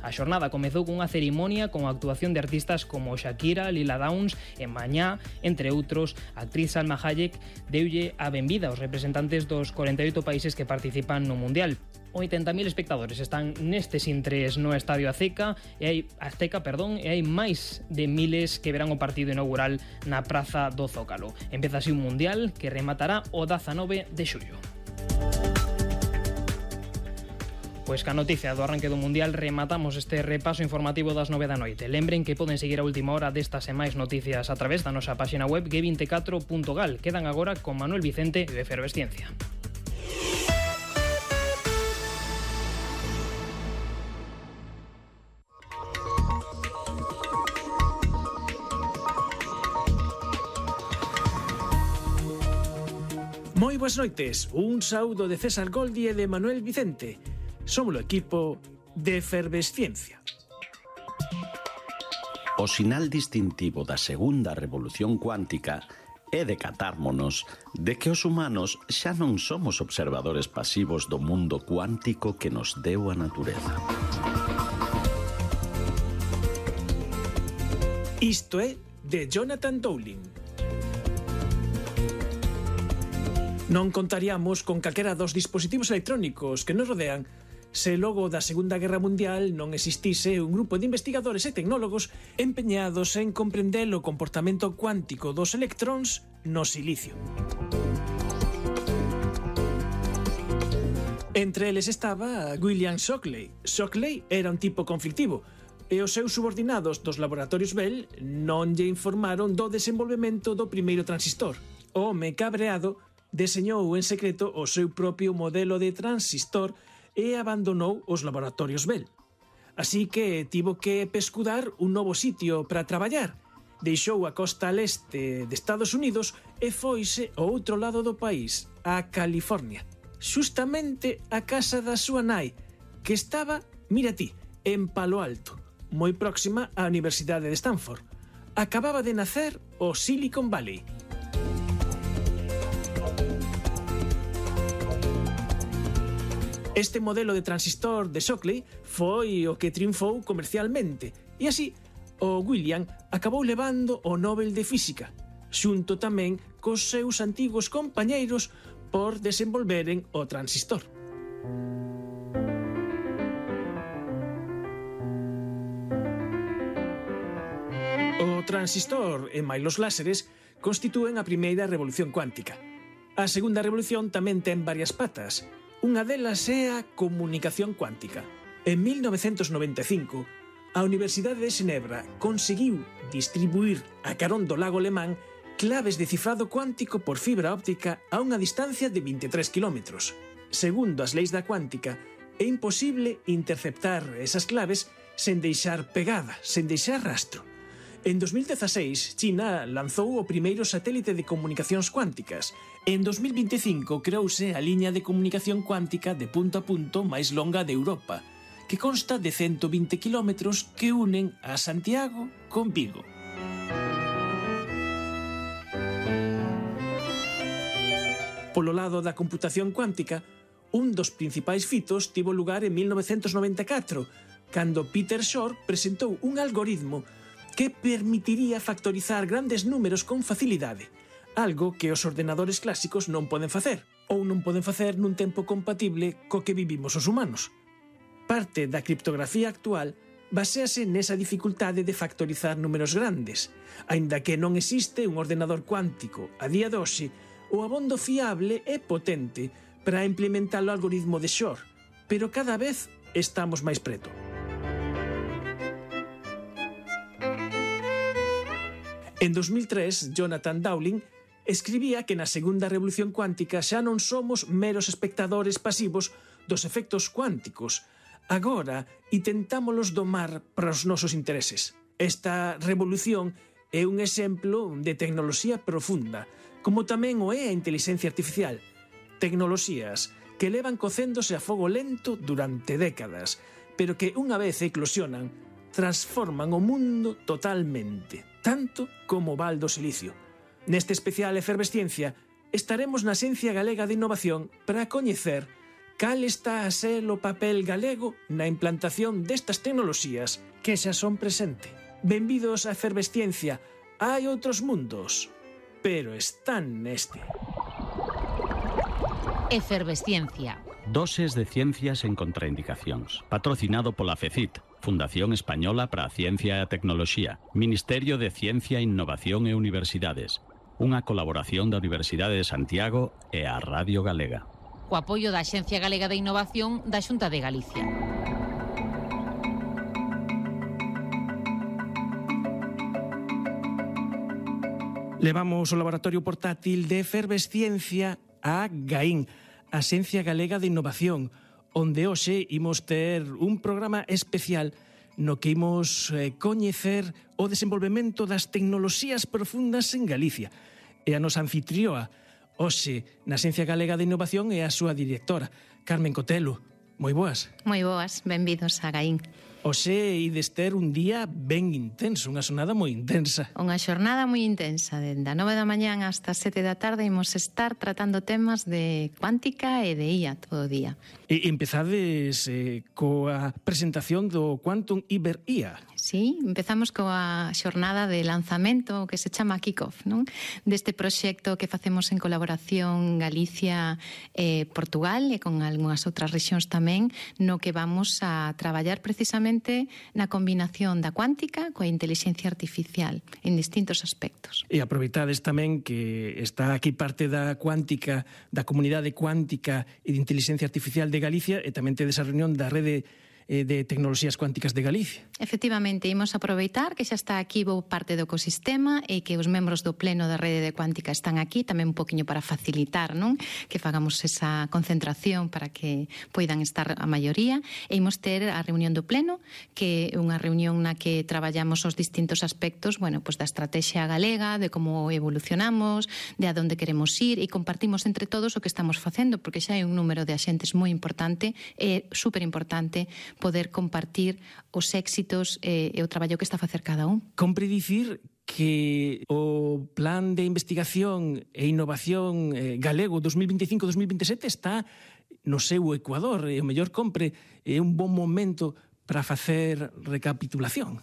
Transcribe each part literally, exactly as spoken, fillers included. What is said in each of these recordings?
A xornada comezou cunha cerimonia con a actuación de artistas como Shakira, Lila Downs e Mañá, entre outros. A actriz Salma Hayek deulle a benvida aos representantes dos corenta e oito países que participan no Mundial. oitenta mil espectadores están nestes intres no Estadio Azteca e hai Azteca, perdón, e hai máis de miles que verán o partido inaugural na Praza do Zócalo. Empeza así un Mundial que rematará o dezanove de xullo. Pois ca noticia do arranque do Mundial rematamos este repaso informativo das nove da noite. Lembren que poden seguir a última hora destas e máis noticias a través da nosa páxina web ge vinte e catro punto gal. Quedan agora con Manuel Vicente e Efervesciencia. Moi boas noites, un saúdo de César Goldi e de Manuel Vicente. Somos o equipo de Efervesciencia. O sinal distintivo da segunda revolución cuántica é decatármonos de que os humanos xa non somos observadores pasivos do mundo cuántico que nos deu a natureza. Isto é de Jonathan Dowling. Non contaríamos con calquera dos dispositivos electrónicos que nos rodean se logo da Segunda Guerra Mundial non existise un grupo de investigadores e tecnólogos empeñados en comprender o comportamento cuántico dos electróns no silicio. Entre eles estaba William Shockley. Shockley era un tipo conflictivo e os seus subordinados dos laboratorios Bell non lle informaron do desenvolvemento do primeiro transistor. O home cabreado deseñou en secreto o seu propio modelo de transistor e abandonou os laboratorios Bell. Así que tivo que pescudar un novo sitio para traballar. Deixou a costa leste de Estados Unidos e foise ao outro lado do país, a California. Xustamente a casa da súa nai, que estaba, mira ti, en Palo Alto, moi próxima á Universidade de Stanford. Acababa de nacer o Silicon Valley. Este modelo de transistor de Shockley foi o que triunfou comercialmente e así o William acabou levando o Nobel de Física, xunto tamén cos seus antigos compañeiros por desenvolveren o transistor. O transistor e máis os láseres constitúen a primeira revolución cuántica. A segunda revolución tamén ten varias patas. Unha delas é a comunicación cuántica. En mil novecentos noventa e cinco, a Universidade de Xenebra conseguiu distribuir a carón do lago Lemán claves de cifrado cuántico por fibra óptica a unha distancia de vinte e tres quilómetros. Segundo as leis da cuántica, é imposible interceptar esas claves sen deixar pegada, sen deixar rastro. En dos mil dezaseis, China lanzou o primeiro satélite de comunicacións cuánticas. En dos mil vinte e cinco creouse a liña de comunicación cuántica de punto a punto máis longa de Europa, que consta de ciento vinte quilómetros que unen a Santiago con Vigo. Polo lado da computación cuántica, un dos principais fitos tivo lugar en mil novecentos noventa e catro, cando Peter Shor presentou un algoritmo que permitiría factorizar grandes números con facilidade, algo que os ordenadores clásicos non poden facer, ou non poden facer nun tempo compatible co que vivimos os humanos. Parte da criptografía actual baséase nesa dificultade de factorizar números grandes. Aínda que non existe un ordenador cuántico a día de hoxe, o abondo fiable é potente para implementar o algoritmo de Shor, pero cada vez estamos máis preto. En dos mil tres, Jonathan Dowling escribía que na segunda revolución cuántica xa non somos meros espectadores pasivos dos efectos cuánticos. Agora intentámolos domar para os nosos intereses. Esta revolución é un exemplo de tecnoloxía profunda, como tamén o é a inteligencia artificial. Tecnoloxías que levan cocéndose a fogo lento durante décadas, pero que unha vez eclosionan, transforman o mundo totalmente, tanto como o Val do Silicio. Neste especial Efervesciencia estaremos na Axencia Galega de Innovación para coñecer cal está a ser o papel galego na implantación destas tecnoloxías que xa son presente. Benvidos á Efervesciencia. Hai outros mundos, pero están neste. Efervesciencia. Doses de ciencias en contraindicacións. Patrocinado pola FECIT, Fundación Española para a Ciencia e a Tecnoloxía, Ministerio de Ciencia, Innovación e Universidades. Unha colaboración da Universidade de Santiago e a Radio Galega. O apoio da Axencia Galega de Innovación da Xunta de Galicia. Levamos o laboratorio portátil de Efervesciencia a Gaín, a Axencia Galega de Innovación, onde hoxe imos ter un programa especial no que imos eh, coñecer o desenvolvemento das tecnoloxías profundas en Galicia. E a nosa anfitrioa, hoxe, na Axencia Galega de Innovación, é a súa directora, Carmen Cotelo. Moi boas. Moi boas, benvidos a Gaín. Hoxe ides ter un día ben intenso, unha xornada moi intensa. Unha xornada moi intensa, dende a nove da mañán hasta as sete da tarde imos estar tratando temas de cuántica e de I A todo o día. E empezades eh, coa presentación do Quantum Iber I A. Sí, empezamos coa xornada de lanzamento que se chama Kick-Off, non? Deste proxecto que facemos en colaboración Galicia e Portugal e con algunhas outras rexións tamén, no que vamos a traballar precisamente na combinación da cuántica coa inteligencia artificial en distintos aspectos. E aproveitades tamén que está aquí parte da cuántica, da comunidade cuántica e de inteligencia artificial de Galicia e tamén tedes a reunión da rede de tecnoloxías cuánticas de Galicia. Efectivamente, imos aproveitar que xa está aquí bo parte do ecosistema e que os membros do pleno da rede de cuántica están aquí, tamén un poquinho para facilitar, non? Que fagamos esa concentración para que poidan estar a maioría, e imos ter a reunión do pleno, que é unha reunión na que traballamos os distintos aspectos, bueno, pues da estrategia galega, de como evolucionamos, de a donde queremos ir, e compartimos entre todos o que estamos facendo, porque xa hai un número de axentes moi importante, e super importante poder compartir os éxitos e, e o traballo que está a facer cada un. Compre dicir que o plan de investigación e innovación eh, galego dos mil veinticinco dos mil veintisiete está no seu ecuador, e o mellor compre é un bon momento para facer recapitulación.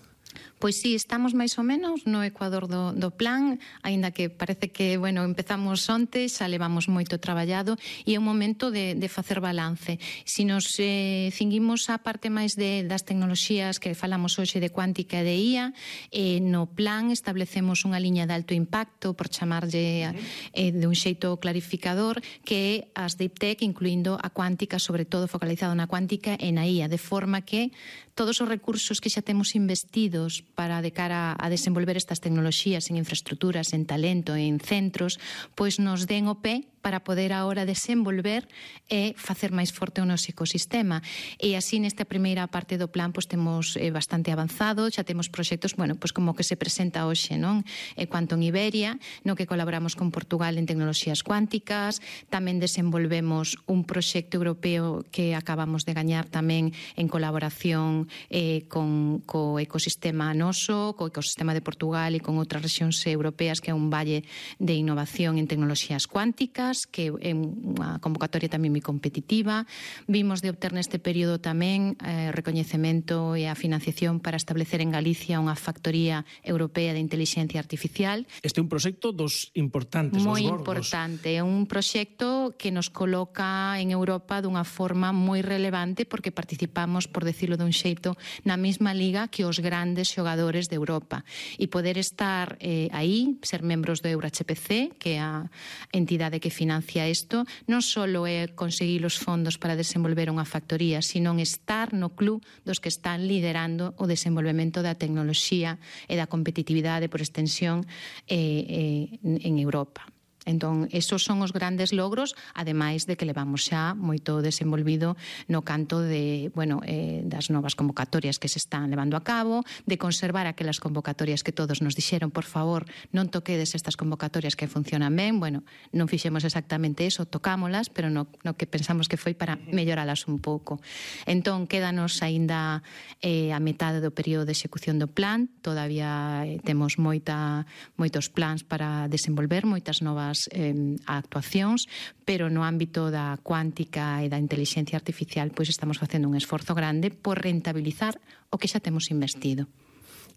Pois sí, estamos máis ou menos no ecuador do, do plan, aínda que parece que, bueno, empezamos onte, xa levamos moito traballado e é un momento de, de facer balance. Si nos eh, cinguimos a parte máis de, das tecnoloxías que falamos hoxe de cuántica e de I A, eh, no plan establecemos unha liña de alto impacto, por chamarlle eh, de un xeito clarificador, que é as Deep Tech, incluindo a cuántica, sobre todo focalizado na cuántica e na I A, de forma que todos os recursos que xa temos investidos para de cara a desenvolver estas tecnoloxías en infraestructuras, en talento, en centros, pois nos den o pé para poder agora desenvolver e facer máis forte o noso ecosistema. E así nesta primeira parte do plan pois temos eh, bastante avanzado, xa temos proxectos, bueno, pois como que se presenta hoxe, non? E Quantum Iberia, no que colaboramos con Portugal en tecnoloxías cuánticas, tamén desenvolvemos un proxecto europeo que acabamos de gañar tamén en colaboración eh, con co ecosistema noso, co ecosistema de Portugal e con outras rexións europeas, que é un valle de innovación en tecnoloxías cuánticas, que é unha convocatoria tamén moi competitiva. Vimos de obter neste período tamén eh, recoñecemento e a financiación para establecer en Galicia unha factoría europea de inteligencia artificial. Este é un proxecto dos importantes, moi dos gordos. importante, é un proxecto que nos coloca en Europa dunha forma moi relevante, porque participamos, por decirlo dun xeito, na mesma liga que os grandes xogadores de Europa, e poder estar eh, aí, ser membros do EuroH P C, que é a entidade que financia isto, non só é conseguir os fondos para desenvolver unha factoría, sino estar no club dos que están liderando o desenvolvemento da tecnoloxía e da competitividade por extensión eh, eh, en Europa. Entón, esos son os grandes logros, ademais de que levamos xa moito desenvolvido no canto de, bueno, eh, das novas convocatorias que se están levando a cabo, de conservar aquelas convocatorias que todos nos dixeron, por favor, non toquedes estas convocatorias que funcionan ben. Bueno, non fixemos exactamente eso, tocámolas, pero no, no que pensamos que foi para melloralas un pouco. Entón, quédanos aínda eh, a metade do período de execución do plan, todavía eh, temos moita, moitos plans para desenvolver, moitas novas novas eh, actuacións, pero no ámbito da cuántica e da inteligencia artificial pois estamos facendo un esforzo grande por rentabilizar o que xa temos investido.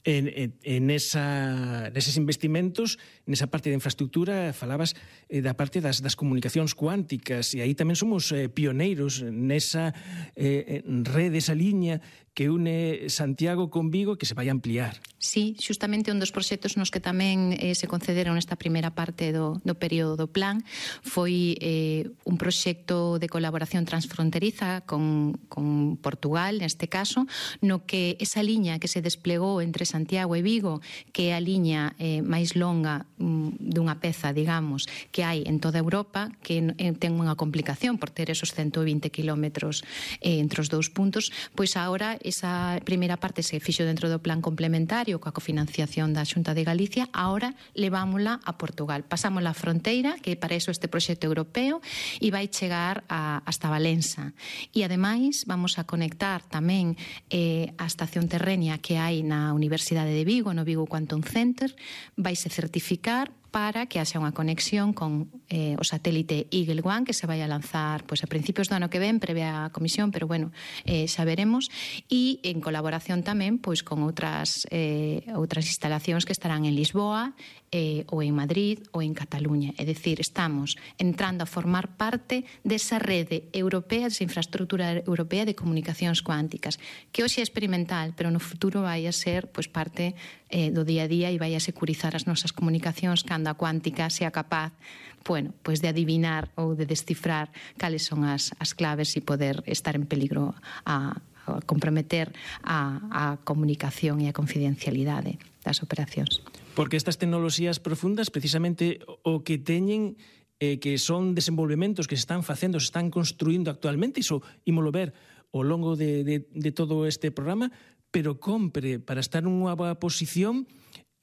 En, en, en esa, neses investimentos, nesa parte de infraestructura, falabas eh, da parte das, das comunicacións cuánticas, e aí tamén somos eh, pioneiros nesa eh, rede, esa liña que une Santiago con Vigo, que se vai ampliar. Sí, xustamente un dos proxectos nos que tamén eh, se concederon nesta primeira parte do, do período do plan foi eh, un proxecto de colaboración transfronteriza con, con Portugal, neste caso, no que esa liña que se desplegou entre Santiago e Vigo, que é a liña eh, máis longa mm, dunha peza, digamos, que hai en toda Europa, que eh, ten unha complicación por ter esos ciento vinte kilómetros eh, entre os dous puntos, pois agora esa primeira parte se fixo dentro do plan complementario coa cofinanciación da Xunta de Galicia, agora levámola a Portugal. Pasamos a fronteira, que para iso este proxecto europeo, e vai chegar a, hasta Valença. E ademais vamos a conectar tamén eh, a estación terrenia que hai na Universidade de Vigo, no Vigo Quantum Center, vaise certificar para que haxa unha conexión con eh, o satélite Eagle One, que se vai a lanzar pois, a principios do ano que ven, prevé a comisión, pero bueno, eh, xa veremos, e en colaboración tamén pois, con outras, eh, outras instalacións que estarán en Lisboa, eh, ou en Madrid, ou en Cataluña. É dicir, estamos entrando a formar parte desa rede europea, desa infraestructura europea de comunicacións cuánticas, que hoxe é experimental, pero no futuro vai a ser pois, parte eh, do día a día e vai a securizar as nosas comunicacións cando a cuántica sea capaz, bueno, pues de adivinar ou de descifrar cales son as, as claves e poder estar en peligro a, a comprometer a, a comunicación e a confidencialidade das operacións. Porque estas tecnoloxías profundas, precisamente o que teñen eh, que son desenvolvementos que se están facendo, se están construindo actualmente, iso ímolo ver ao longo de, de, de todo este programa, pero compre para estar nunha boa posición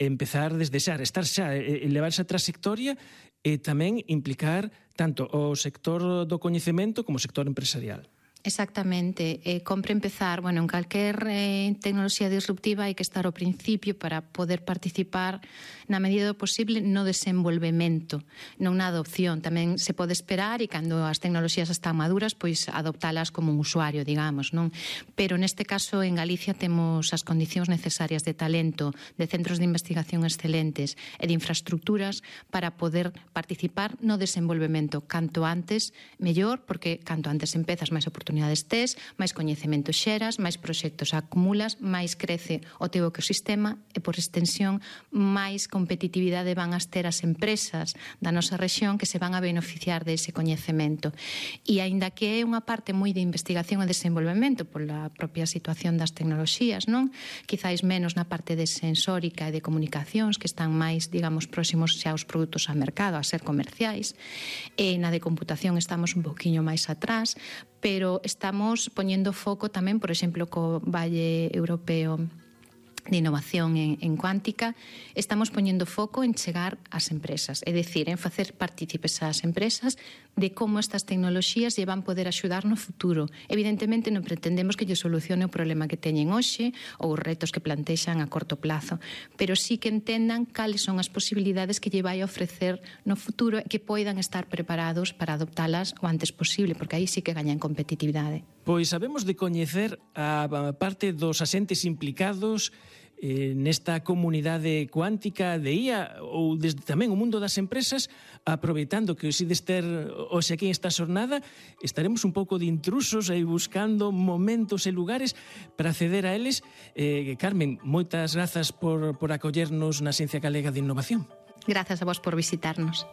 empezar desde xa, estar xa, elevar esa trayectoria e tamén implicar tanto o sector do coñecemento como o sector empresarial. Exactamente, eh, compre empezar, bueno, en calquer eh, tecnoloxía disruptiva hai que estar ao principio para poder participar na medida do posible no desenvolvemento, non na adopción. Tamén se pode esperar e cando as tecnoloxías están maduras, pois adoptalas como un usuario, digamos, non? Pero neste caso en Galicia temos as condicións necesarias de talento, de centros de investigación excelentes e de infraestructuras para poder participar no desenvolvemento canto antes, mellor, porque canto antes empezas máis oportunidades tes, máis coñecemento xeras, máis proxectos acumulas, máis crece o teu ecosistema e, por extensión, máis competitividade van a ter as empresas da nosa rexión que se van a beneficiar dese coñecemento. E, aínda que é unha parte moi de investigación e desenvolvemento pola propia situación das tecnoloxías, non? Quizáis menos na parte de sensórica e de comunicacións, que están máis, digamos, próximos xa aos produtos ao mercado, a ser comerciais. E na de computación estamos un poquinho máis atrás, pero estamos poñendo foco tamén, por exemplo, co Valle Europeo de Innovación en, en Cuántica, estamos poñendo foco en chegar ás empresas, é dicir, en facer partícipes ás empresas de como estas tecnoloxías lle van poder axudar no futuro. Evidentemente non pretendemos que lle solucione o problema que teñen hoxe ou os retos que plantexan a corto plazo, pero sí que entendan cales son as posibilidades que lle vai a ofrecer no futuro e que poidan estar preparados para adoptalas o antes posible, porque aí sí que gañan competitividade. Pois sabemos de coñecer a parte dos asentes implicados eh, nesta comunidade cuántica de I A ou desde tamén o mundo das empresas, aproveitando que hoxe dester hoxe aquí esta xornada estaremos un pouco de intrusos aí buscando momentos e lugares para acceder a eles. eh, Carmen, moitas grazas por, por acollernos na Ciencia Galega de Innovación. Grazas a vos por visitarnos.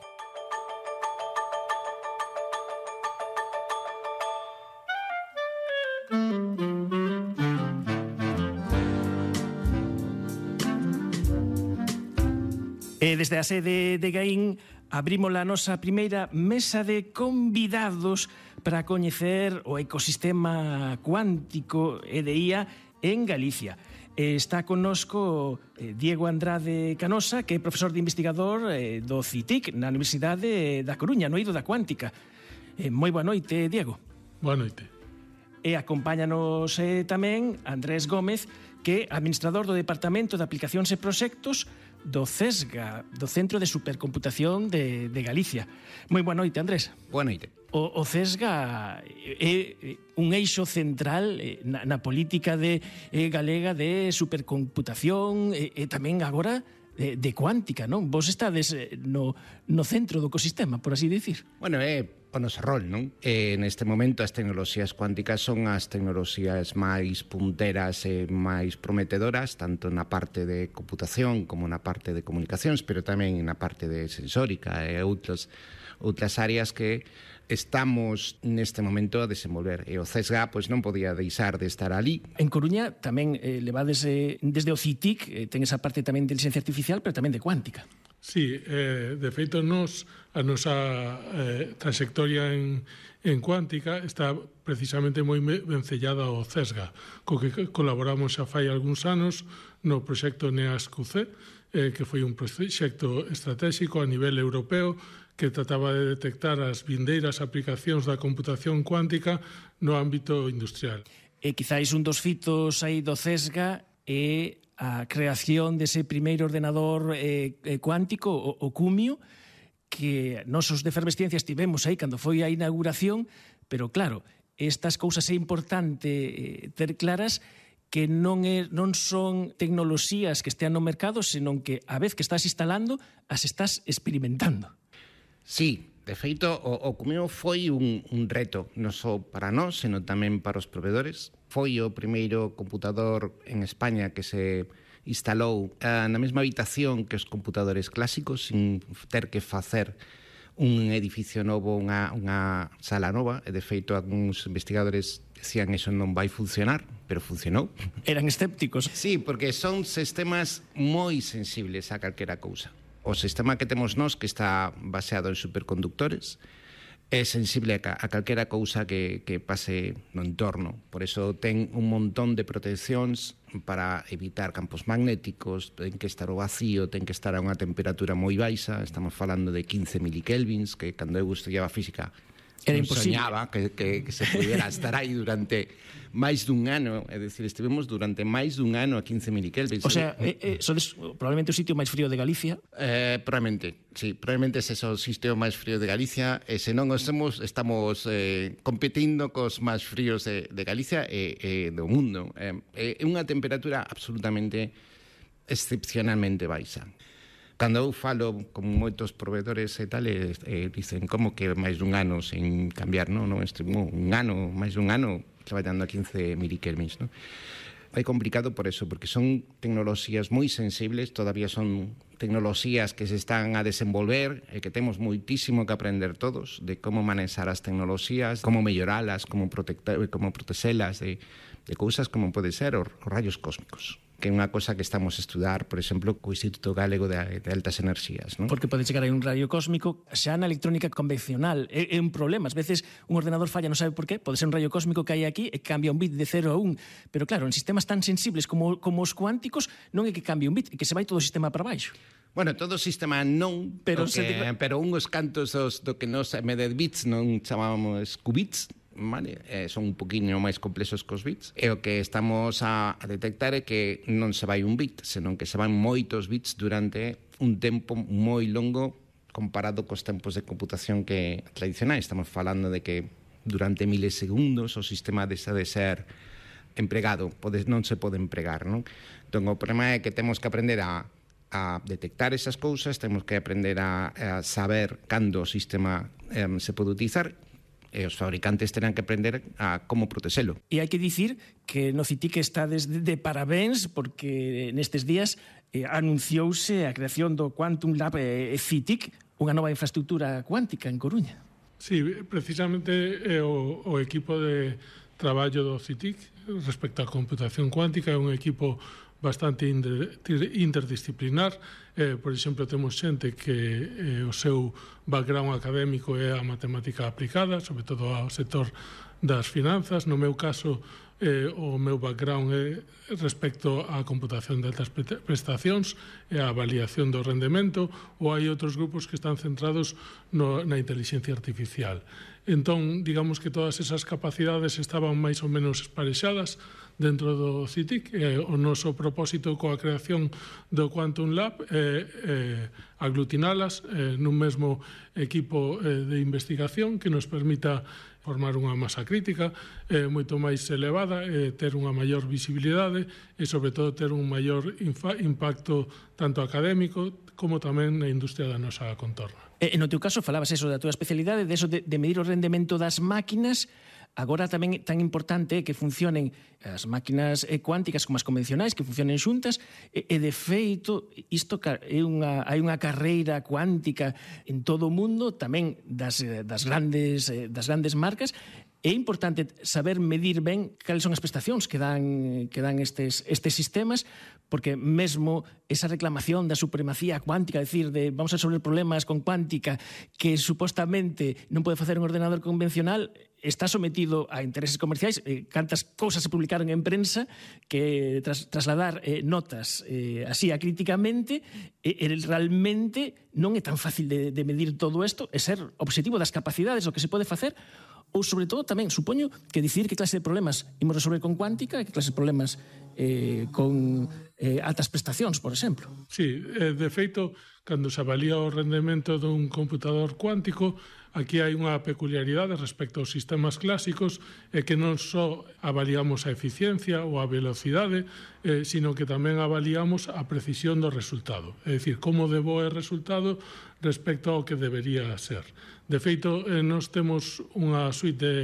E desde a sede de Gaín abrimos a nosa primeira mesa de convidados para coñecer o ecosistema cuántico e de I A en Galicia. Está connosco Diego Andrade Canosa, que é profesor de investigador do C I T I C na Universidade da Coruña, no eido da Cuántica. Moi boa noite, Diego. Boa noite. E acompáñanos eh, tamén Andrés Gómez, que é administrador do Departamento de Aplicacións e Proxectos do CESGA, do Centro de Supercomputación de, de Galicia. Moi boa noite, Andrés. Boa noite. O, o CESGA é un eixo central na, na política de, eh, galega de supercomputación e, e tamén agora de, de cuántica, non? Vos estades no, no centro do ecosistema, por así dicir. Bueno, é o noso rol, non? E neste momento as tecnoloxías cuánticas son as tecnoloxías máis punteras e máis prometedoras, tanto na parte de computación como na parte de comunicacións, pero tamén na parte de sensórica e outras, outras áreas que estamos neste momento a desenvolver. E o CESGA pois, non podía deixar de estar ali. En Coruña tamén eh, levades eh, desde o CITIC, eh, ten esa parte tamén de inteligencia artificial, pero tamén de cuántica. Sí, eh, de feito, nos, a nosa eh, trayectoria en, en cuántica está precisamente moi vencellada ao CESGA, co que colaboramos xa fai algúns anos no proxecto NEASQ-C, eh, que foi un proxecto estratégico a nivel europeo que trataba de detectar as vindeiras aplicacións da computación cuántica no ámbito industrial. E quizáis un dos fitos aí do CESGA é a creación dese primeiro ordenador eh, cuántico, o, o Cumio, que nosos de Fervesciencia estivemos aí cando foi a inauguración, pero claro, estas cousas é importante eh, ter claras que non, é, non son tecnoloxías que estean no mercado, senón que a vez que estás instalando, as estás experimentando. Sí, de feito, o, o Cumio foi un, un reto, non só para nós, senón tamén para os provedores. Foi o primeiro computador en España que se instalou eh, na mesma habitación que os computadores clásicos, sin ter que facer un edificio novo, unha, unha sala nova, e de feito algúns investigadores decían eso non vai funcionar, pero funcionou. Eran escépticos. Sí, porque son sistemas moi sensibles a calquera cousa. O sistema que temos nós, que está baseado en superconductores, é sensible a, a calquera cousa que, que pase no entorno. Por eso ten un montón de proteccións para evitar campos magnéticos, ten que estar o vacío, ten que estar a unha temperatura moi baixa, estamos falando de quince milikelvins, que cando eu estudiaba física era non imposible. soñaba que, que, que se pudiera estar aí durante máis dun ano, é dicir, estivemos durante máis dun ano a quince milikelvins. O sea, eh, eh, sodes probablemente o sitio máis frío de Galicia. Eh, probablemente, sí, probablemente ese é o sitio máis frío de Galicia, e se non os temos, estamos eh, competindo cos máis fríos de, de Galicia e, e do mundo. É eh, unha temperatura absolutamente excepcionalmente baixa. Cando eu falo con moitos provedores e tal, e, e dicen como que máis dun ano sen cambiar, non? Non estivemos un ano, máis dun ano traballando a quince milikelvins, non? É complicado por eso, porque son tecnoloxías moi sensibles, todavía son tecnoloxías que se están a desenvolver e que temos moitísimo que aprender todos de como manexar as tecnoloxías, como melloralas, como, como protexelas de, de cousas como pode ser os, os rayos cósmicos, que é unha cosa que estamos a estudar, por exemplo, co Instituto Galego de, de Altas Enerxías, non? Porque pode chegar aí un rayo cósmico xa na electrónica convencional. É, é un problema. Ás veces un ordenador falla, non sabe por qué. Pode ser un rayo cósmico que hai aquí e cambia un bit de cero a un. Pero claro, en sistemas tan sensibles como, como os cuánticos non é que cambie un bit, é que se vai todo o sistema para baixo. Bueno, todo o sistema non, pero, que, se... pero unhos cantos dos, do que nos medir bits non chamábamos qubits, vale? Eh, son un poquinho máis complexos que os bits, e o que estamos a, a detectar é que non se vai un bit, senón que se van moitos bits durante un tempo moi longo comparado cos tempos de computación que tradicionais. Estamos falando de que durante milisegundos o sistema deixa de ser empregado, pode, non se pode empregar, non? Entón, o problema é que temos que aprender a, a detectar esas cousas, temos que aprender a, a saber cando o sistema eh, se pode utilizar, e os fabricantes terán que aprender a como protexelo. E hai que dicir que no CITIC está desde de parabéns, porque nestes días eh, anunciouse a creación do Quantum Lab eh, CITIC, unha nova infraestructura cuántica en Coruña. Sí, precisamente é o, o equipo de traballo do CITIC respecto á computación cuántica, é un equipo bastante interdisciplinar. Eh, por exemplo, temos xente que eh, o seu background académico é a matemática aplicada, sobre todo ao sector das finanzas. No meu caso, eh, o meu background é respecto á computación de altas prestacións e á avaliación do rendemento, ou hai outros grupos que están centrados no, na inteligencia artificial. Entón, digamos que todas esas capacidades estaban máis ou menos esparexadas dentro do C I T I C. Eh, o noso propósito coa creación do Quantum Lab é eh, aglutinalas eh, nun mesmo equipo eh, de investigación que nos permita formar unha masa crítica eh, moito máis elevada, eh, ter unha maior visibilidade e, sobre todo, ter un maior impacto tanto académico como tamén na industria da nosa contorna. E no teu caso falabas eso da tua especialidade, de eso de, de medir o rendemento das máquinas. Agora tamén é tan importante que funcionen as máquinas cuánticas como as convencionais, que funcionen xuntas, e, e de feito, isto é unha, hai unha carreira cuántica en todo o mundo, tamén das, das, grandes, das grandes marcas. É importante saber medir ben cales son as prestacións que dan, que dan estes, estes sistemas, porque mesmo esa reclamación da supremacía cuántica, decir, de vamos a resolver problemas con cuántica que supostamente non pode facer un ordenador convencional, está sometido a intereses comerciais. Eh, cantas cousas se publicaron en prensa que tras, trasladar eh, notas eh, así acríticamente, eh, realmente non é tan fácil de, de medir todo isto, e ser obxectivo das capacidades, o que se pode facer, ou, sobre todo, tamén, supoño, que decidir que clase de problemas imos resolver con cuántica e que clase de problemas eh, con eh, altas prestacións, por exemplo. Sí, eh, de feito, cando se avalía o rendemento dun computador cuántico, aquí hai unha peculiaridade respecto aos sistemas clásicos, é que non só avaliamos a eficiencia ou a velocidade, eh, sino que tamén avaliamos a precisión do resultado. É dicir, como de bo é o resultado respecto ao que debería ser. De feito, eh, nós temos unha suite de,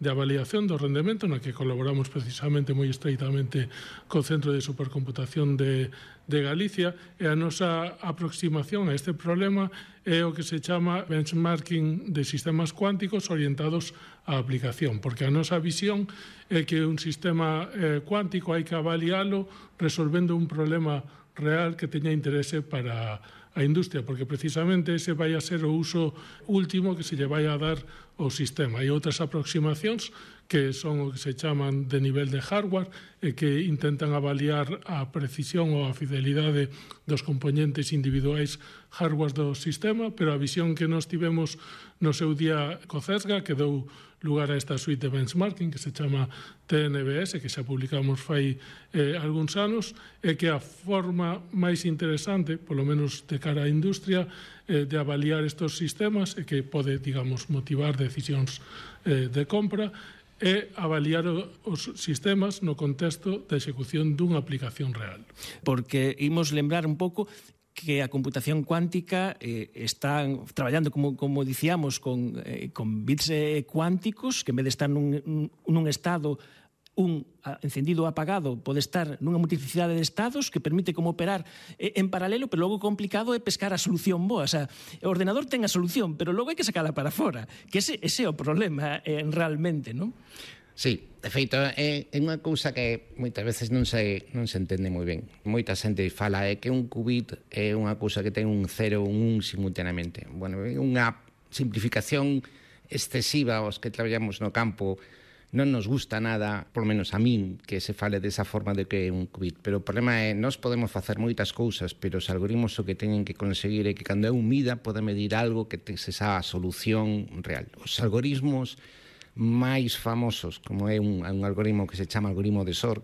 de avaliación do rendemento na que colaboramos precisamente moi estreitamente co Centro de Supercomputación de, de Galicia, e a nosa aproximación a este problema é o que se chama benchmarking de sistemas cuánticos orientados á aplicación, porque a nosa visión é que un sistema eh, cuántico hai que avalialo resolvendo un problema real que teña interese para a industria, porque precisamente ese vai a ser o uso último que se lle vai a dar ao sistema. Hai outras aproximacións que son o que se chaman de nivel de hardware e que intentan avaliar a precisión ou a fidelidade dos componentes individuais hardware do sistema, pero a visión que nos tivemos no seu día co CESGA, que dou lugar a esta suite de benchmarking que se chama T N B S, que xa publicamos fai eh, algúns anos, é que a forma máis interesante, polo menos de cara á industria, eh, de avaliar estes sistemas e que pode, digamos, motivar decisións eh, de compra, é avaliar os sistemas no contexto da execución dunha aplicación real. Porque imos lembrar un pouco que a computación cuántica eh, están traballando, como, como dicíamos, con, eh, con bits eh, cuánticos, que en vez de estar nun, nun estado un encendido ou apagado, pode estar nunha multiplicidade de estados que permite como operar eh, en paralelo, pero logo complicado é pescar a solución boa. O sea, o ordenador ten a solución, pero logo hai que sacala para fora, que ese, ese é o problema eh, realmente, non? Sí, de feito, é, é unha cousa que moitas veces non se, non se entende moi ben. Moita xente fala é que un qubit é unha cousa que ten un cero ou un un simultaneamente. Bueno, é unha simplificación excesiva aos que traballamos no campo. Non nos gusta nada, por lo menos a min, que se fale desa forma de que é un qubit. Pero o problema é, nós podemos facer moitas cousas, pero os algoritmos o que teñen que conseguir é que cando é un mida pode medir algo que te esa solución real. Os algoritmos máis famosos, como é un, un algoritmo que se chama algoritmo de S O R,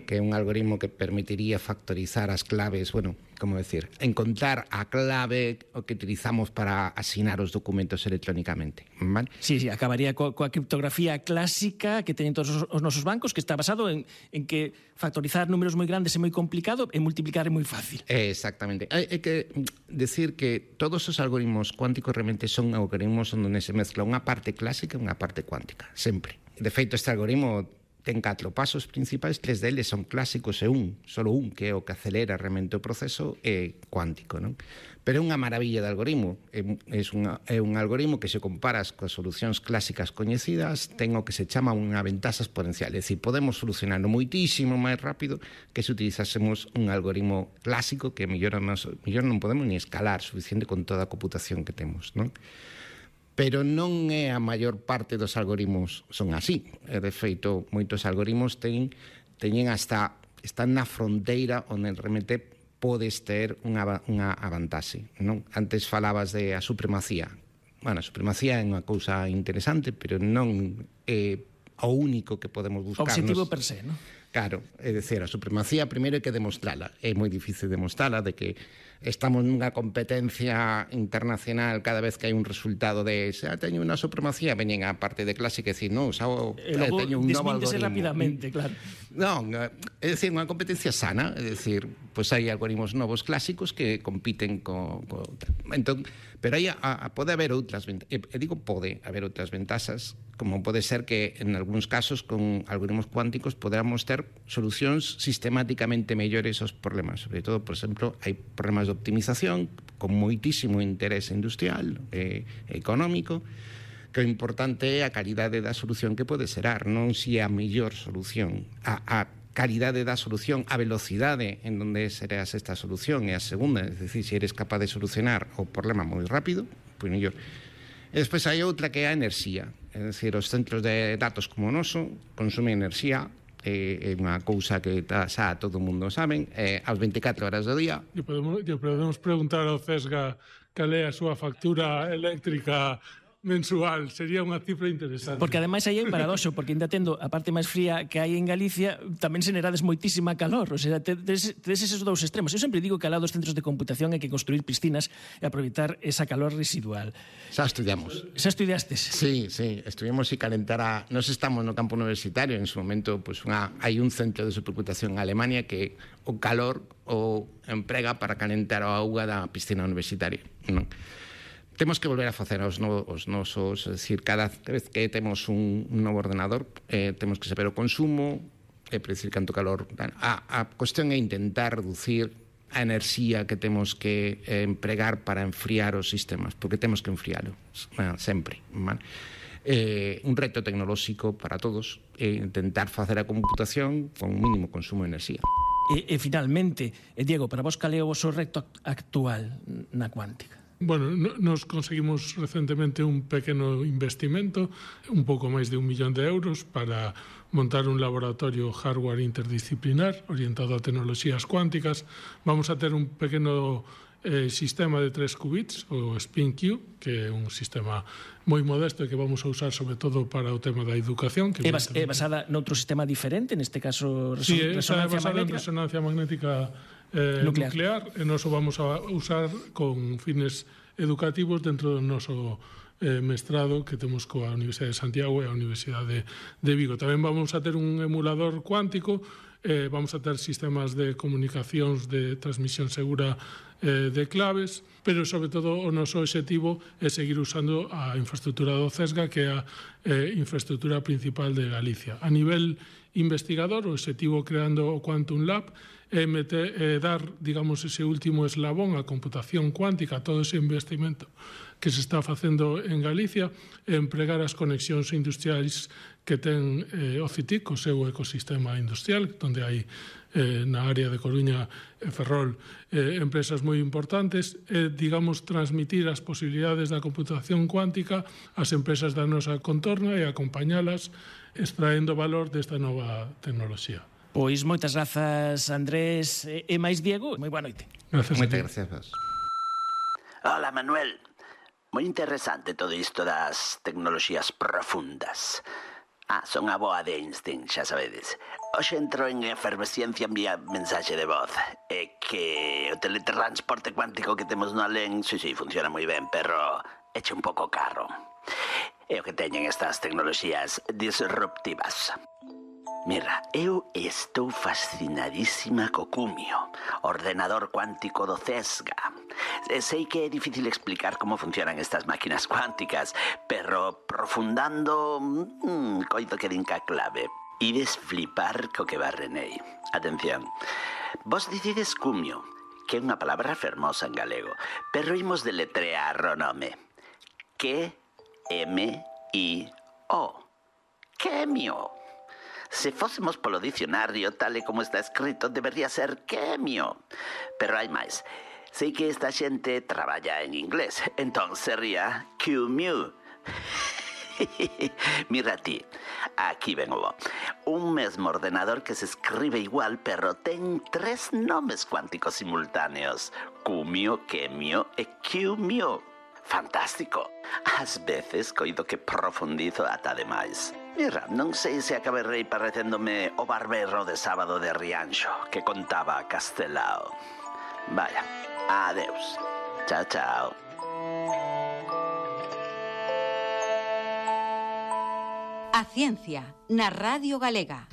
que é un algoritmo que permitiría factorizar as claves, bueno, como decir, encontrar a clave o que utilizamos para asinar os documentos electrónicamente, ¿vale? Sí, sí, acabaría co, coa criptografía clásica que teñen todos os, os nosos bancos, que está basado en, en que factorizar números moi grandes é moi complicado e multiplicar é moi fácil. Exactamente. Hai, hai que decir que todos os algoritmos cuánticos realmente son algoritmos onde se mezcla unha parte clásica e unha parte cuántica, sempre. De feito, este algoritmo ten catro pasos principais, tres deles son clásicos e un, solo un, que é o que acelera realmente o proceso, é cuántico, non? Pero é unha maravilla de algoritmo. É, é, unha, é un algoritmo que se comparas coas solucións clásicas coñecidas, ten o que se chama unha ventaxa exponencial. É dicir, podemos solucionarlo moitísimo máis rápido que se utilizásemos un algoritmo clásico que mellor, nos, mellor non podemos ni escalar suficiente con toda a computación que temos, non? Pero non é a maior parte dos algoritmos son así. De feito, moitos algoritmos ten, teñen hasta, están na fronteira onde realmente podes ter unha, unha avantaxe, non? Antes falabas de a supremacía. Bueno, a supremacía é unha cousa interesante, pero non é o único que podemos buscar. Obxectivo per se, non? Claro, é dicir, a supremacía primeiro hai que demostrala. É moi difícil demostrala, de que estamos nunha competencia internacional cada vez que hai un resultado de xa teño unha supremacía, veñen a parte de clase que decir, non, xa eh, teño un novo algoritmo. Rapidamente, claro. Non, é dicir, unha competencia sana, é dicir, pois hai algoritmos novos clásicos que compiten co, co entón, pero aí a, a, pode haber outras ventaxas, e digo pode haber outras ventaxas, como pode ser que en algúns casos con algoritmos cuánticos poderamos ter solucións sistemáticamente mellores aos problemas, sobre todo, por exemplo, hai problemas de optimización con moitísimo interés industrial e económico, que o importante é a calidade da solución que pode xerar, non si é a mellor solución, a, a calidade da solución, a velocidade en donde serás esta solución é a segunda, é dicir, se eres capaz de solucionar o problema moi rápido, pois mellor. E despois hai outra que é a enerxía, é dicir, os centros de datos como o noso consumen enerxía, é unha cousa que xa todo o mundo saben, é aos veinticuatro horas do día. E podemos, e podemos preguntar ao CESGA cal é a súa factura eléctrica mensual, sería unha cifra interesante. Porque ademais aí hai un paradoxo, porque ainda tendo a parte máis fría que hai en Galicia, tamén se nerades moitísima calor, o sea, tedes eses dous extremos. Eu sempre digo que ao lado dos centros de computación hai que construir piscinas e aproveitar esa calor residual. Xa estudiamos. Xa estudiastes? Sí, sí, estuvimos e calentar a... Nos estamos no campo universitario, en su momento, pues, unha... hai un centro de supercomputación en Alemania que o calor o emprega para calentar a auga da piscina universitaria, non? Temos que volver a facer os, no, os nosos, é dicir, cada vez que temos un, un novo ordenador, eh, temos que saber o consumo, é predicir canto calor. A, a cuestión é intentar reducir a enerxía que temos que eh, empregar para enfriar os sistemas, porque temos que enfriálo, bueno, sempre. Man. Eh, un reto tecnolóxico para todos é intentar facer a computación con un mínimo consumo de enerxía. E, e finalmente, e Diego, para vos cal é o vosso reto actual na cuántica? Bueno, nos conseguimos recentemente un pequeno investimento, un pouco máis de un millón de euros, para montar un laboratorio hardware interdisciplinar orientado a tecnoloxías cuánticas. Vamos a ter un pequeno eh, sistema de tres qubits, o SpinQ, que é un sistema moi modesto e que vamos a usar sobre todo para o tema da educación. Que é, bas, é basada noutro sistema diferente, neste caso reson sí, resonancia é basada magnética? en resonancia magnética eh, nuclear. nuclear, e nos o vamos a usar con fines educativos dentro do noso eh, mestrado que temos coa Universidade de Santiago e a Universidade de Vigo. Tamén vamos a ter un emulador cuántico, eh, vamos a ter sistemas de comunicacións de transmisión segura eh, de claves, pero sobre todo o noso objetivo é seguir usando a infraestructura do CESGA, que é a eh, infraestructura principal de Galicia. A nivel investigador, o objetivo creando o Quantum Lab é meter, eh, dar, digamos, ese último eslabón a computación cuántica, todo ese investimento que se está facendo en Galicia, e empregar as conexións industriais que ten eh, o CITIC, o seu ecosistema industrial, onde hai eh, na área de Coruña e Ferrol eh, empresas moi importantes, e, digamos, transmitir as posibilidades da computación cuántica ás empresas da nosa contorna e acompañalas extraendo valor desta nova tecnoloxía. Pois moitas grazas, Andrés e máis Diego. Moi boa noite. Gracias. Moitas gracias. Hola, Manuel. Moi interesante todo isto das tecnoloxías profundas. Ah, son a boa de Einstein, xa sabedes. Hoxe entro en efervesciencia vía mensaxe de voz. É que o teletransporte cuántico que temos no alén, sí, sí, funciona moi ben, pero eche un pouco caro. É o que teñen estas tecnoloxías disruptivas. Mira, eu estou fascinadísima co Cumio, ordenador cuántico do CESGA. Sei que é difícil explicar como funcionan estas máquinas cuánticas, pero profundando, mmm, coido que din ca clave. Ides flipar co que barrenei. Atención, vos dicides Cumio, que é unha palabra fermosa en galego, pero imos deletrear o nome. Q M I O. Quemio. Se fósemos polo dicionario tal e como está escrito, debería ser quemio. Pero hai máis. Sei que esta xente traballa en inglés, entón sería Q-Mew. Mira ti, aquí ven o bo. Un mesmo ordenador que se escribe igual, pero ten tres nomes cuánticos simultáneos. Cumio, Quemio e Q-Mew. Fantástico. Ás veces coido que profundizo ata demais. Mira, non sei se acabarei parecéndome o barbero de sábado de Rianxo que contaba Castelao. Vaya, adeus. Chao, chao. A ciencia na Radio Galega.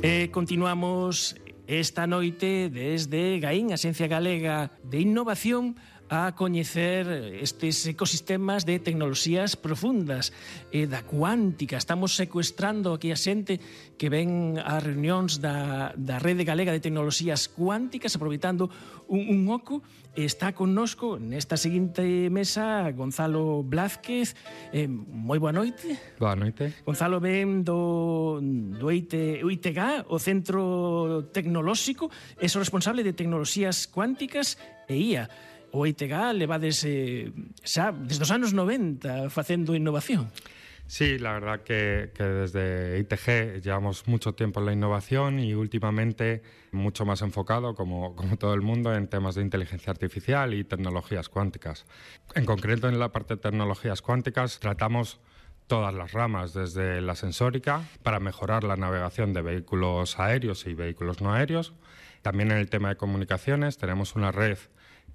E continuamos esta noite desde Gaín, a Xencia Galega de Innovación, a coñecer estes ecosistemas de tecnoloxías profundas e da cuántica. Estamos secuestrando aquí a xente que ven ás reunións da, da Rede Galega de Tecnoloxías Cuánticas, aproveitando un, un oco. Está connosco nesta seguinte mesa Gonzalo Blázquez. Eh, moi boa noite. Boa noite. Gonzalo ven do, do I T, o I T G A, o Centro Tecnolóxico, é o responsable de Tecnoloxías Cuánticas e I A. O I T G A levades eh, xa desde os anos noventa facendo innovación. Sí, la verdad que, que desde I T G llevamos mucho tiempo en la innovación y últimamente mucho más enfocado, como, como todo el mundo, en temas de inteligencia artificial y tecnologías cuánticas. En concreto, en la parte de tecnologías cuánticas tratamos todas las ramas, desde la sensórica, para mejorar la navegación de vehículos aéreos y vehículos no aéreos. También en el tema de comunicaciones tenemos una red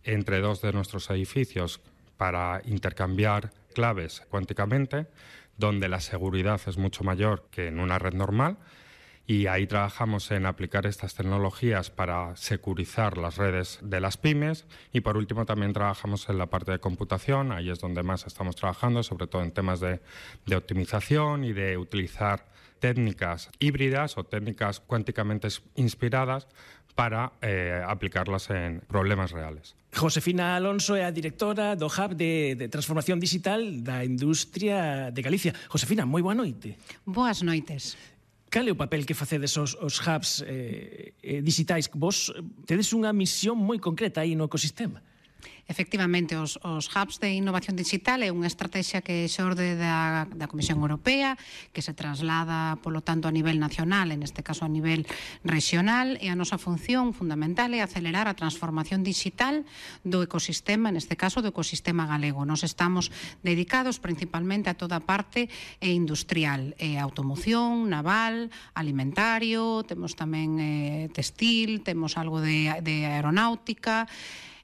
entre dos de nuestros edificios para intercambiar claves cuánticamente, donde la seguridad es mucho mayor que en una red normal, y ahí trabajamos en aplicar estas tecnologías para securizar las redes de las pymes. Y por último también trabajamos en la parte de computación, ahí es donde más estamos trabajando, sobre todo en temas de, de optimización y de utilizar técnicas híbridas o técnicas cuánticamente inspiradas para eh, aplicarlas en problemas reales. Josefina Alonso é a directora do Hub de, de Transformación Digital da Industria de Galicia. Josefina, moi boa noite. Boas noites. Cal é o papel que facedes os, os hubs eh, eh, digitais? Vos tedes unha misión moi concreta aí no ecosistema. Efectivamente, os, os hubs de innovación digital é unha estrategia que xorde da, da Comisión Europea, que se traslada, polo tanto, a nivel nacional, en este caso a nivel regional, e a nosa función fundamental é acelerar a transformación digital do ecosistema, en este caso do ecosistema galego. Nos estamos dedicados principalmente a toda a parte industrial, eh, automoción, naval, alimentario, temos tamén eh, textil, temos algo de, de aeronáutica.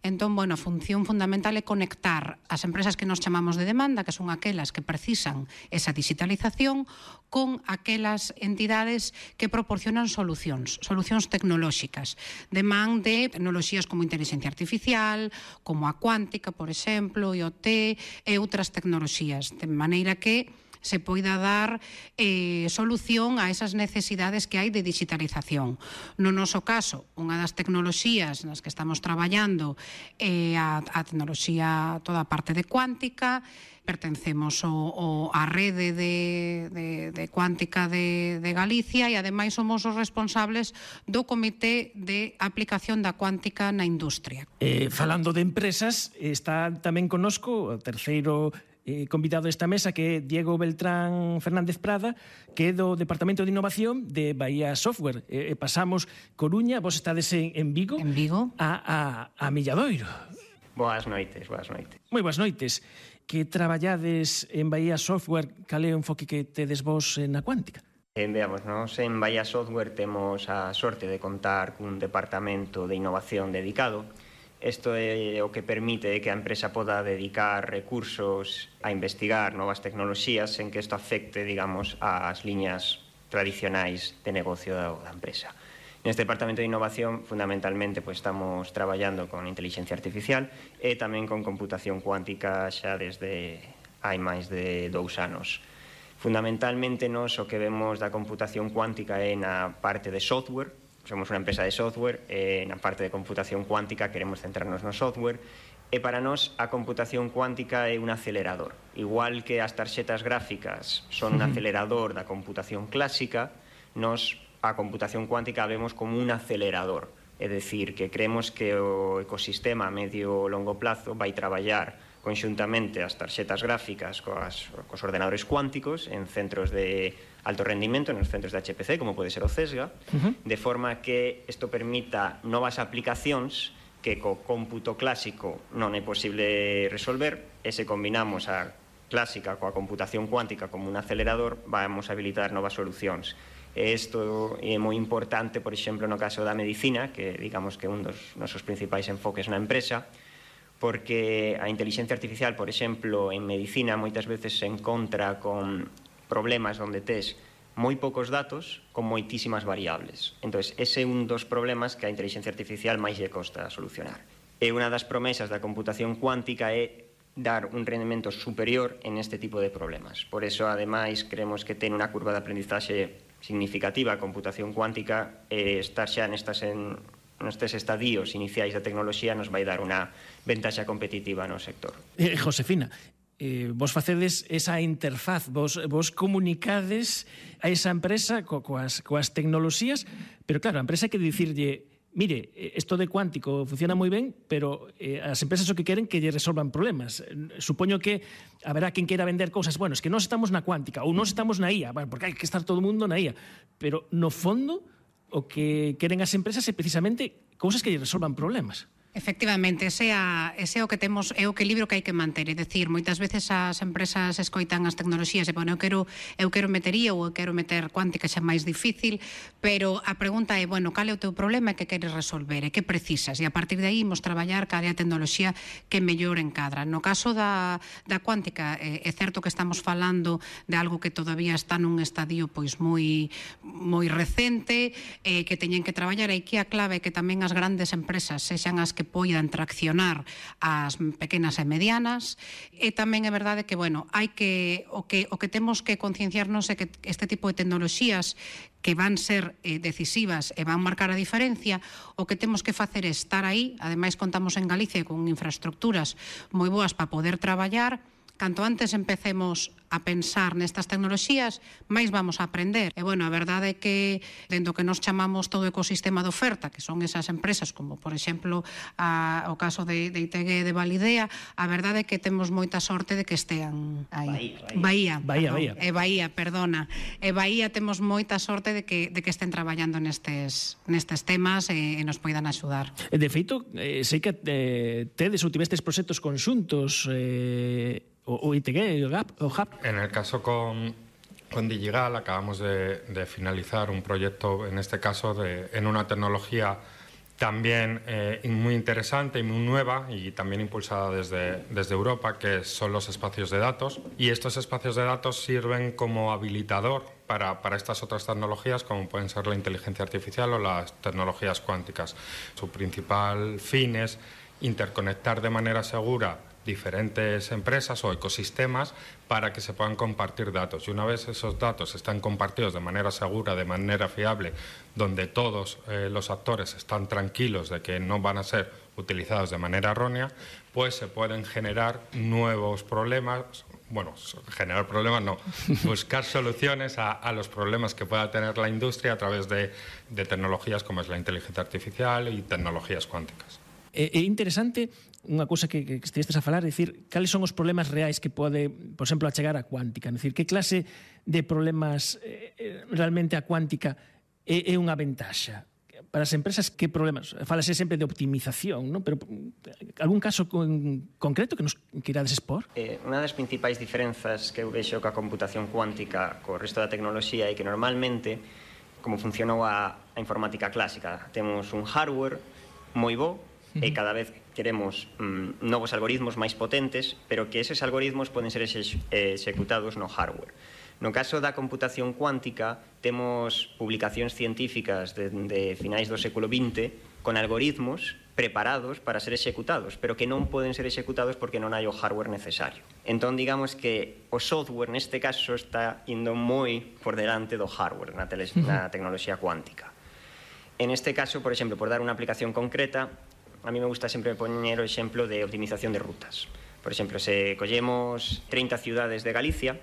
Entón, bueno, a función fundamental é conectar as empresas que nos chamamos de demanda, que son aquelas que precisan esa digitalización, con aquelas entidades que proporcionan solucións, solucións tecnolóxicas, de man de tecnoloxías como inteligencia artificial, como a cuántica, por exemplo, I O T e outras tecnoloxías, de maneira que se poida dar eh, solución a esas necesidades que hai de digitalización. No noso caso, unha das tecnoloxías nas que estamos traballando é a, a tecnoloxía, toda a parte de cuántica. Pertencemos o, o, a rede de, de, de cuántica de, de Galicia e ademais somos os responsables do Comité de Aplicación da Cuántica na Industria. Eh, falando de empresas, está tamén connosco o terceiro Eh, convidado a esta mesa, que é Diego Beltrán Fernández Prada, que é do Departamento de Innovación de Bahía Software. Eh, pasamos Coruña, vos estades en, en Vigo, en Vigo. A, a, a Milladoiro. Boas noites, boas noites. Moi boas noites. Que traballades en Bahía Software, cal é o enfoque que tedes vos na cuántica? Eh, veamos, nos en Bahía Software temos a sorte de contar cun departamento de innovación dedicado. Isto é o que permite que a empresa poda dedicar recursos a investigar novas tecnoloxías sen que isto afecte, digamos, ás liñas tradicionais de negocio da, da empresa. Neste departamento de innovación, fundamentalmente, pues, estamos traballando con inteligencia artificial e tamén con computación cuántica xa desde hai máis de dous anos. Fundamentalmente, nos o que vemos da computación cuántica é na parte de software. Somos unha empresa de software, e na parte de computación cuántica queremos centrarnos no software, e para nós a computación cuántica é un acelerador. Igual que as tarxetas gráficas son un acelerador da computación clásica, nós a computación cuántica vemos como un acelerador É dicir, que creemos que o ecosistema a medio e longo plazo vai traballar conxuntamente as tarxetas gráficas coas, cos ordenadores cuánticos en centros de alto rendimento, nos centros de H P C, como pode ser o CESGA, uh-huh. de forma que isto permita novas aplicacións que co cómputo clásico non é posible resolver, e se combinamos a clásica coa computación cuántica como un acelerador, vamos a habilitar novas solucións. E isto é moi importante, por exemplo, no caso da medicina, que digamos que é un dos nosos principais enfoques na empresa, porque a inteligencia artificial, por exemplo, en medicina moitas veces se encontra con problemas onde tes moi poucos datos con moitísimas variables. Entón, ese é un dos problemas que a inteligencia artificial máis lle costa solucionar. E unha das promesas da computación cuántica é dar un rendimento superior en este tipo de problemas. Por eso, ademais, creemos que ten unha curva de aprendizaxe significativa a computación cuántica e estar xa nestas en nestes estadios iniciais da tecnoloxía nos vai dar unha ventaxa competitiva no sector. Eh, Josefina, eh, vos facedes esa interfaz, vos, vos comunicades a esa empresa co, coas, coas tecnoloxías, pero claro, a empresa hai que dicirlle, mire, isto de cuántico funciona moi ben, pero eh, as empresas o que queren que lle resolvan problemas. Supoño que haberá quen queira vender cousas, bueno, es que nós estamos na cuántica ou nós estamos na I A, bueno, porque hai que estar todo o mundo na I A, pero no fondo o que queren as empresas é precisamente cousas que lle resolvan problemas. Efectivamente, ese, a, ese é o que temos, é o que libro que hai que manter, é dicir, moitas veces as empresas escoitan as tecnoloxías e, bueno, eu quero, eu quero meter I A ou eu quero meter cuántica, xa máis difícil, pero a pregunta é, bueno, cal é o teu problema e que queres resolver, e que precisas, e a partir de aí imos traballar cal é a tecnoloxía que mellor encadra. No caso da, da cuántica, é, é certo que estamos falando de algo que todavía está nun estadio pois moi, moi recente, eh, que teñen que traballar, e que a clave é que tamén as grandes empresas sexan as que poidan traccionar as pequenas e medianas, e tamén é verdade que, bueno, hai que o que o que temos que concienciarnos é que este tipo de tecnoloxías que van ser eh, decisivas e van marcar a diferencia, o que temos que facer é estar aí. Ademais, contamos en Galicia con infraestructuras moi boas para poder traballar. Canto antes empecemos a pensar nestas tecnoloxías, máis vamos a aprender. E, bueno, a verdade é que, dentro que nos chamamos todo o ecosistema de oferta, que son esas empresas, como, por exemplo, a, o caso de, de I T G de Validea, a verdade é que temos moita sorte de que estean aí. Bahía. Bahía, Bahía. E Bahía, perdona. E Bahía temos moita sorte de que, de que estén traballando nestes, nestes temas e, e nos poidan axudar. De feito, eh, sei que eh, tedes ou tivestes proxectos conxuntos eh, o I T G, o G A P, o H A P. En el caso con, con Digigal acabamos de, de finalizar un proyecto, en este caso, de, en una tecnología también eh, muy interesante y muy nueva y también impulsada desde, desde Europa, que son los espacios de datos. Y estos espacios de datos sirven como habilitador para, para estas otras tecnologías, como pueden ser la inteligencia artificial o las tecnologías cuánticas. Su principal fin es interconectar de manera segura diferentes empresas o ecosistemas para que se puedan compartir datos. Y una vez esos datos están compartidos de manera segura, de manera fiable, donde todos eh, los actores están tranquilos de que no van a ser utilizados de manera errónea, pues se pueden generar nuevos problemas, bueno, generar problemas no, buscar soluciones a, a los problemas que pueda tener la industria a través de, de tecnologías como es la inteligencia artificial y tecnologías cuánticas. É interesante unha cousa que, que estivestes a falar, é dicir, cales son os problemas reais que pode, por exemplo, achegar a cuántica, é dicir, que clase de problemas eh, realmente a cuántica é, é unha ventaxa para as empresas, que problemas? Fálase sempre de optimización, non? Pero algún caso con, concreto que nos queirades expor? Eh, unha das principais diferenzas que eu vexo coa computación cuántica co resto da tecnoloxía é que normalmente, como funcionou a, a informática clásica, temos un hardware moi bo, e cada vez queremos mm, novos algoritmos máis potentes, pero que eses algoritmos poden ser ex executados no hardware. No caso da computación cuántica, temos publicacións científicas de, de finais do século vinte con algoritmos preparados para ser executados, pero que non poden ser executados porque non hai o hardware necesario. Entón, digamos que o software, neste caso, está indo moi por delante do hardware na, na tecnoloxía cuántica. En este caso, por exemplo, por dar unha aplicación concreta, a mí me gusta sempre poñer o exemplo de optimización de rutas. Por exemplo, se collemos trinta ciudades de Galicia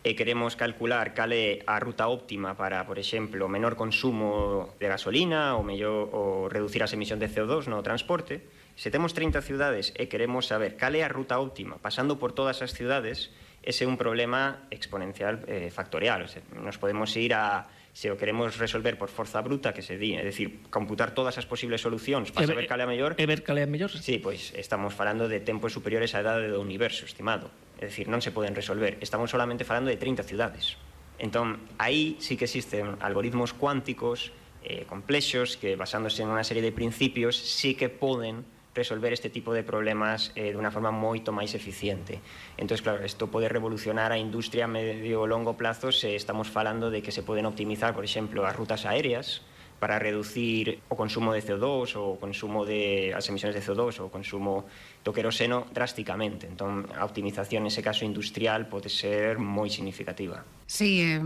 e queremos calcular cal é a ruta óptima para, por exemplo, o menor consumo de gasolina ou mellor ou reducir as emisións de C O dos no transporte, se temos trinta ciudades e queremos saber cal é a ruta óptima pasando por todas as ciudades, ese é un problema exponencial eh, factorial. O sea, nos podemos ir a, se o queremos resolver por forza bruta, que se di, é dicir, computar todas as posibles solucións para saber cal é a mellor. E ver cal é a mellor? Sí, pois estamos falando de tempos superiores á idade do universo, estimado. É dicir, non se poden resolver. Estamos solamente falando de trinta ciudades. Entón, aí sí que existen algoritmos cuánticos eh, complexos que, basándose en unha serie de principios, sí que poden resolver este tipo de problemas eh, de unha forma moito máis eficiente. Entón, claro, isto pode revolucionar a industria a medio e longo plazo se estamos falando de que se poden optimizar, por exemplo, as rutas aéreas para reducir o consumo de C O dos ou o consumo de as emisións de C O dos ou o consumo do queroseno drásticamente. Entón, a optimización nese caso industrial pode ser moi significativa. Sí, eh,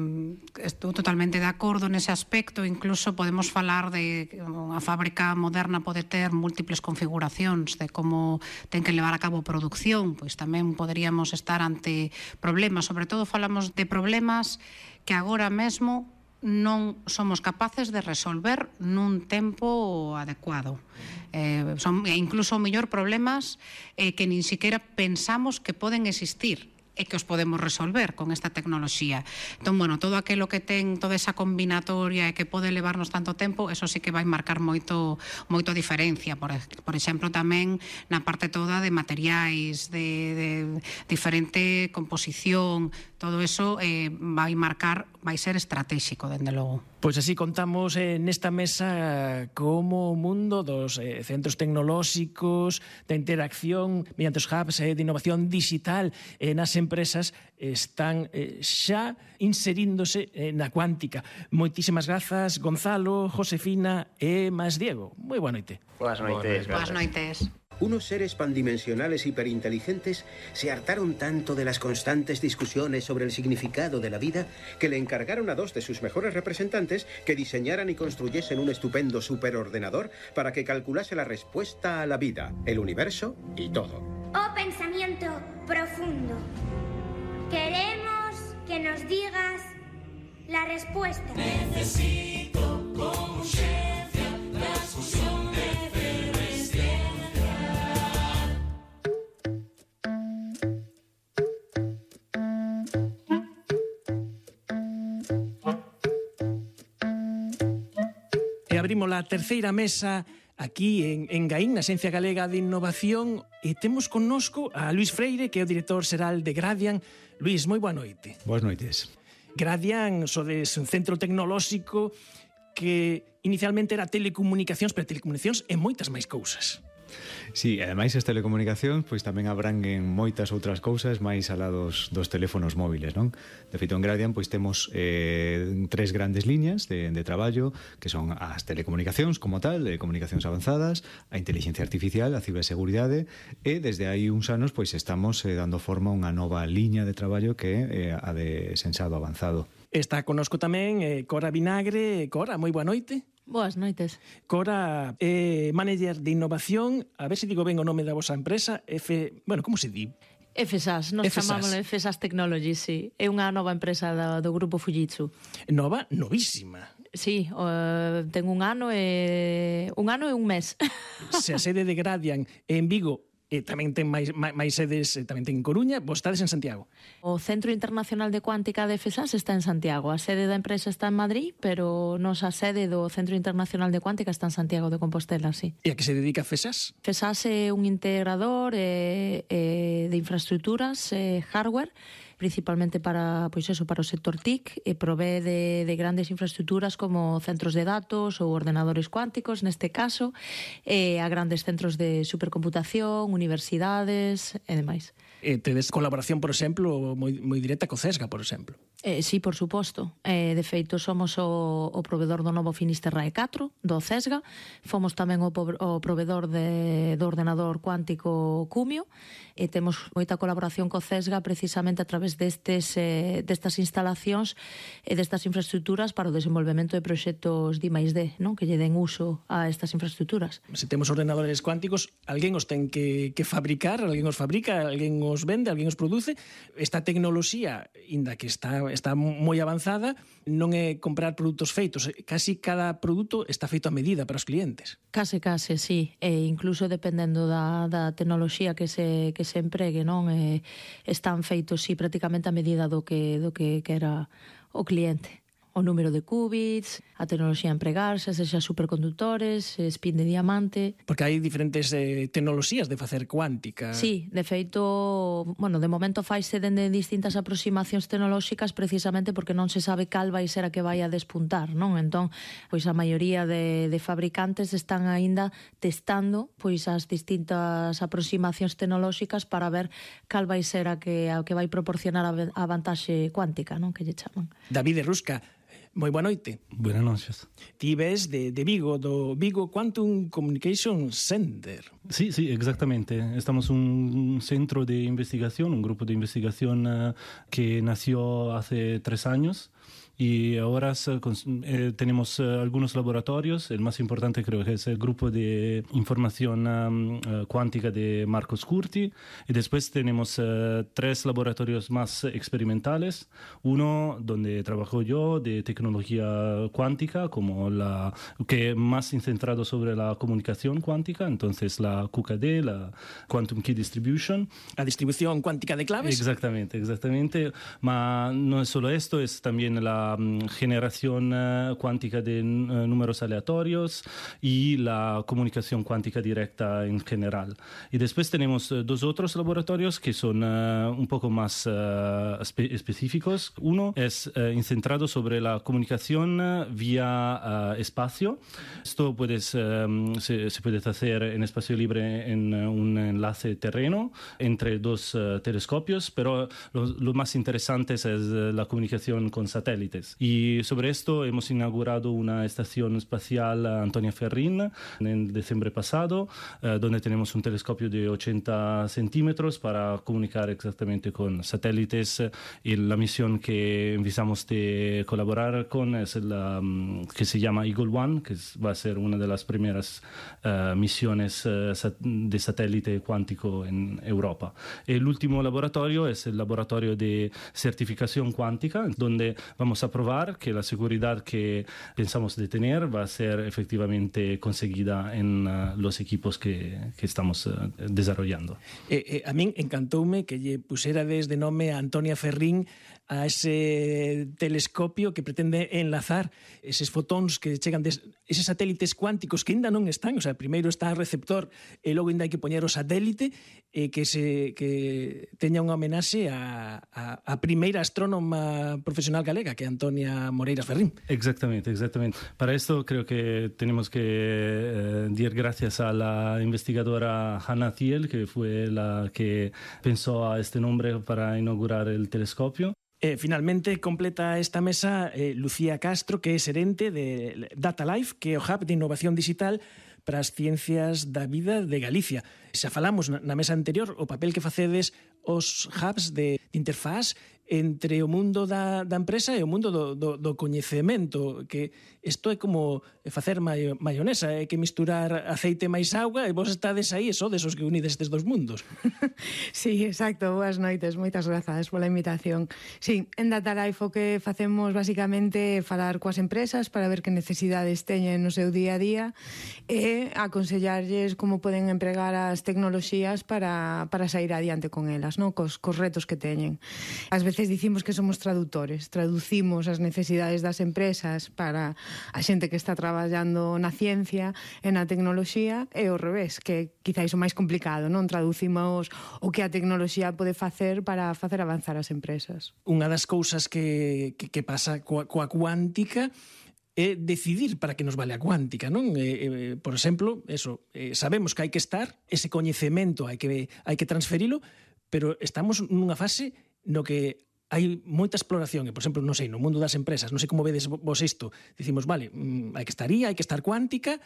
estou totalmente de acordo nese aspecto. Incluso podemos falar de que unha fábrica moderna pode ter múltiples configuracións de como ten que levar a cabo produción. Pois tamén poderíamos estar ante problemas. Sobre todo falamos de problemas que agora mesmo non somos capaces de resolver nun tempo adecuado. Eh, son incluso mellor problemas eh, que nin siquiera pensamos que poden existir e que os podemos resolver con esta tecnoloxía. Entón, bueno, todo aquilo que ten toda esa combinatoria e que pode levarnos tanto tempo, eso sí que vai marcar moito moito diferencia. Por, por exemplo, tamén na parte toda de materiais, de, de diferente composición, todo eso eh, vai marcar, vai ser estratégico, dende logo. Pois así contamos eh, nesta mesa como o mundo dos eh, centros tecnolóxicos, da interacción mediante os hubs eh, de innovación digital eh, nas empresas están eh, xa inseríndose eh, na cuántica. Moitísimas grazas, Gonzalo, Josefina e máis Diego. Moi boa noite. Boas noites. Boas noites. Unos seres pandimensionales hiperinteligentes se hartaron tanto de las constantes discusiones sobre el significado de la vida que le encargaron a dos de sus mejores representantes que diseñaran y construyesen un estupendo superordenador para que calculase la respuesta a la vida, el universo y todo. Oh pensamiento profundo, queremos que nos digas la respuesta. Necesito con urgencia la fusión de abrimos a terceira mesa aquí en, en Gaín, na Xencia Galega de Innovación, e temos connosco a Luís Freire, que é o director xeral de Gradian. Luís, moi boa noite. Boas noites. Gradian, sodes un centro tecnolóxico que inicialmente era telecomunicacións, pero telecomunicacións e moitas máis cousas. Sí, ademais as telecomunicacións pois tamén abranguen moitas outras cousas máis alá dos, dos teléfonos móviles, non? De feito, en Gradian pois temos eh, tres grandes liñas de, de traballo, que son as telecomunicacións como tal, de comunicacións avanzadas, a inteligencia artificial, a ciberseguridade, e desde aí uns anos pois estamos eh, dando forma a unha nova liña de traballo que é eh, a de sensado avanzado. Está connosco tamén eh, Cora Vinagre. Cora, moi boa noite. Boas noites. Cora, eh, manager de innovación, a ver se digo ben o nome da vosa empresa, F... Bueno, como se di? F S A S, nos chamámoslo F S A S Technologies, sí. É unha nova empresa do, do grupo Fujitsu. Nova? Novísima. Sí, uh, ten un ano e un ano e un mes. Se a sede de Gradian en Vigo e tamén ten máis, máis sedes, tamén ten en Coruña, vos estades en Santiago. O Centro Internacional de Cuántica de F S A S está en Santiago. A sede da empresa está en Madrid, pero nosa sede do Centro Internacional de Cuántica está en Santiago de Compostela, sí. E a que se dedica F S A S? F S A S é un integrador eh, eh, de infraestructuras, eh, hardware, principalmente para, pois eso, para o sector T I C, e provee de, de grandes infraestructuras como centros de datos ou ordenadores cuánticos, neste caso, e a grandes centros de supercomputación, universidades e demais. E tedes colaboración, por exemplo, moi, moi directa co CESGA, por exemplo. Eh, sí, por suposto. Eh, de feito, somos o, o provedor do novo Finisterrae catro, do CESGA. Fomos tamén o, o provedor de, do ordenador cuántico Cumio, e temos moita colaboración co CESGA precisamente a través bases destes, eh, destas instalacións e destas infraestructuras para o desenvolvemento de proxectos D máis D, non? Que lle den uso a estas infraestructuras. Se temos ordenadores cuánticos, alguén os ten que, que fabricar, alguén os fabrica, alguén os vende, alguén os produce. Esta tecnoloxía, inda que está, está moi avanzada, non é comprar produtos feitos. Casi cada produto está feito a medida para os clientes. Case, case, sí. E incluso dependendo da, da tecnoloxía que se, que se empregue, non? E, están feitos, sí, prácticamente a medida do que, do que, que era o cliente. O número de qubits, a tecnoloxía a empregarse, sexa supercondutores, spin de diamante. Porque hai diferentes eh, tecnoloxías de facer cuántica. Sí, de feito, bueno, de momento faise dende distintas aproximacións tecnolóxicas precisamente porque non se sabe cal vai ser a que vai a despuntar, non? Entón, pois a maioría de, de fabricantes están aínda testando pois as distintas aproximacións tecnolóxicas para ver cal vai ser a que, a que vai proporcionar a, a vantaxe cuántica, non? Que lle chaman. David Rusca, moi boa noite. Buenas noches. Ti ves de, de Vigo, do Vigo Quantum Communication Center. Sí, sí, exactamente. Estamos un centro de investigación, un grupo de investigación uh, que nació hace tres años. Y ahora eh, tenemos eh, algunos laboratorios. El más importante creo que es el grupo de información um, uh, cuántica de Marcos Curti. Y después tenemos uh, tres laboratorios más experimentales. Uno donde trabajo yo de tecnología cuántica, como la que más centrado sobre la comunicación cuántica. Entonces la Q K D, la Quantum Key Distribution. La distribución cuántica de claves. Exactamente, exactamente. Ma no es solo esto, es también la generación uh, cuántica de uh, números aleatorios y la comunicación cuántica directa en general. Y después tenemos uh, dos otros laboratorios que son uh, un poco más uh, espe específicos. Uno es uh, centrado sobre la comunicación uh, vía uh, espacio. Esto puedes, um, se, se puede hacer en espacio libre en uh, un enlace terreno entre dos uh, telescopios, pero lo, lo más interesante es uh, la comunicación con satélites. Y sobre esto hemos inaugurado una estación espacial Antonia Ferrín en diciembre pasado, eh, donde tenemos un telescopio de ochenta centímetros para comunicar exactamente con satélites. Y la misión que empezamos de colaborar con es la um, que se llama Eagle One, que es, va a ser una de las primeras uh, misiones uh, de satélite cuántico en Europa. El último laboratorio es el laboratorio de certificación cuántica, donde vamos a probar que la seguridad que pensamos de tener va a ser efectivamente conseguida en uh, los equipos que, que estamos uh, desarrollando. Eh, eh, a min encantoume que lle pusera desde nome a Antonia Ferrín a ese telescopio que pretende enlazar eses fotóns que chegan des, eses satélites cuánticos que ainda non están, o sea, primeiro está o receptor e logo ainda hai que poñer o satélite e que se que teña unha homenaxe a, a, a primeira astrónoma profesional galega, que é Antonia Moreiras Ferrín. Exactamente, exactamente. Para esto creo que tenemos que eh, dar gracias a la investigadora Hannah Thiel, que fue la que pensó a este nombre para inaugurar el telescopio. Eh, finalmente completa esta mesa eh, Lucía Castro, que é xerente de Data Life, que é o hub de innovación digital para as ciencias da vida de Galicia. Xa falamos na, na mesa anterior o papel que facedes os hubs de, de interfaz entre o mundo da, da empresa e o mundo do, do, do coñecemento, que isto é como facer maio, maionesa, é que misturar aceite máis auga e vos estades aí, sodes os que unides estes dos mundos. Sí, exacto, boas noites, moitas grazas pola invitación. Sí, en Data Life o que facemos basicamente é falar coas empresas para ver que necesidades teñen no seu día a día e aconsellarlles como poden empregar as tecnoloxías para, para sair adiante con elas, no? cos, cos retos que teñen. Ás veces dicimos que somos traductores, traducimos as necesidades das empresas para a xente que está traballando na ciencia e na tecnoloxía e ao revés, que quizáis o máis complicado, non? Traducimos o que a tecnoloxía pode facer para facer avanzar as empresas. Unha das cousas que, que, que pasa coa, coa cuántica é decidir para que nos vale a cuántica, non? Eh, eh, por exemplo, eso, eh, sabemos que hai que estar, ese coñecemento hai que, hai que transferilo, pero estamos nunha fase no que hai moita exploración, e, por exemplo, non sei, no mundo das empresas, non sei como vedes vos isto, dicimos, vale, mm, hai que estar aí, hai que estar cuántica,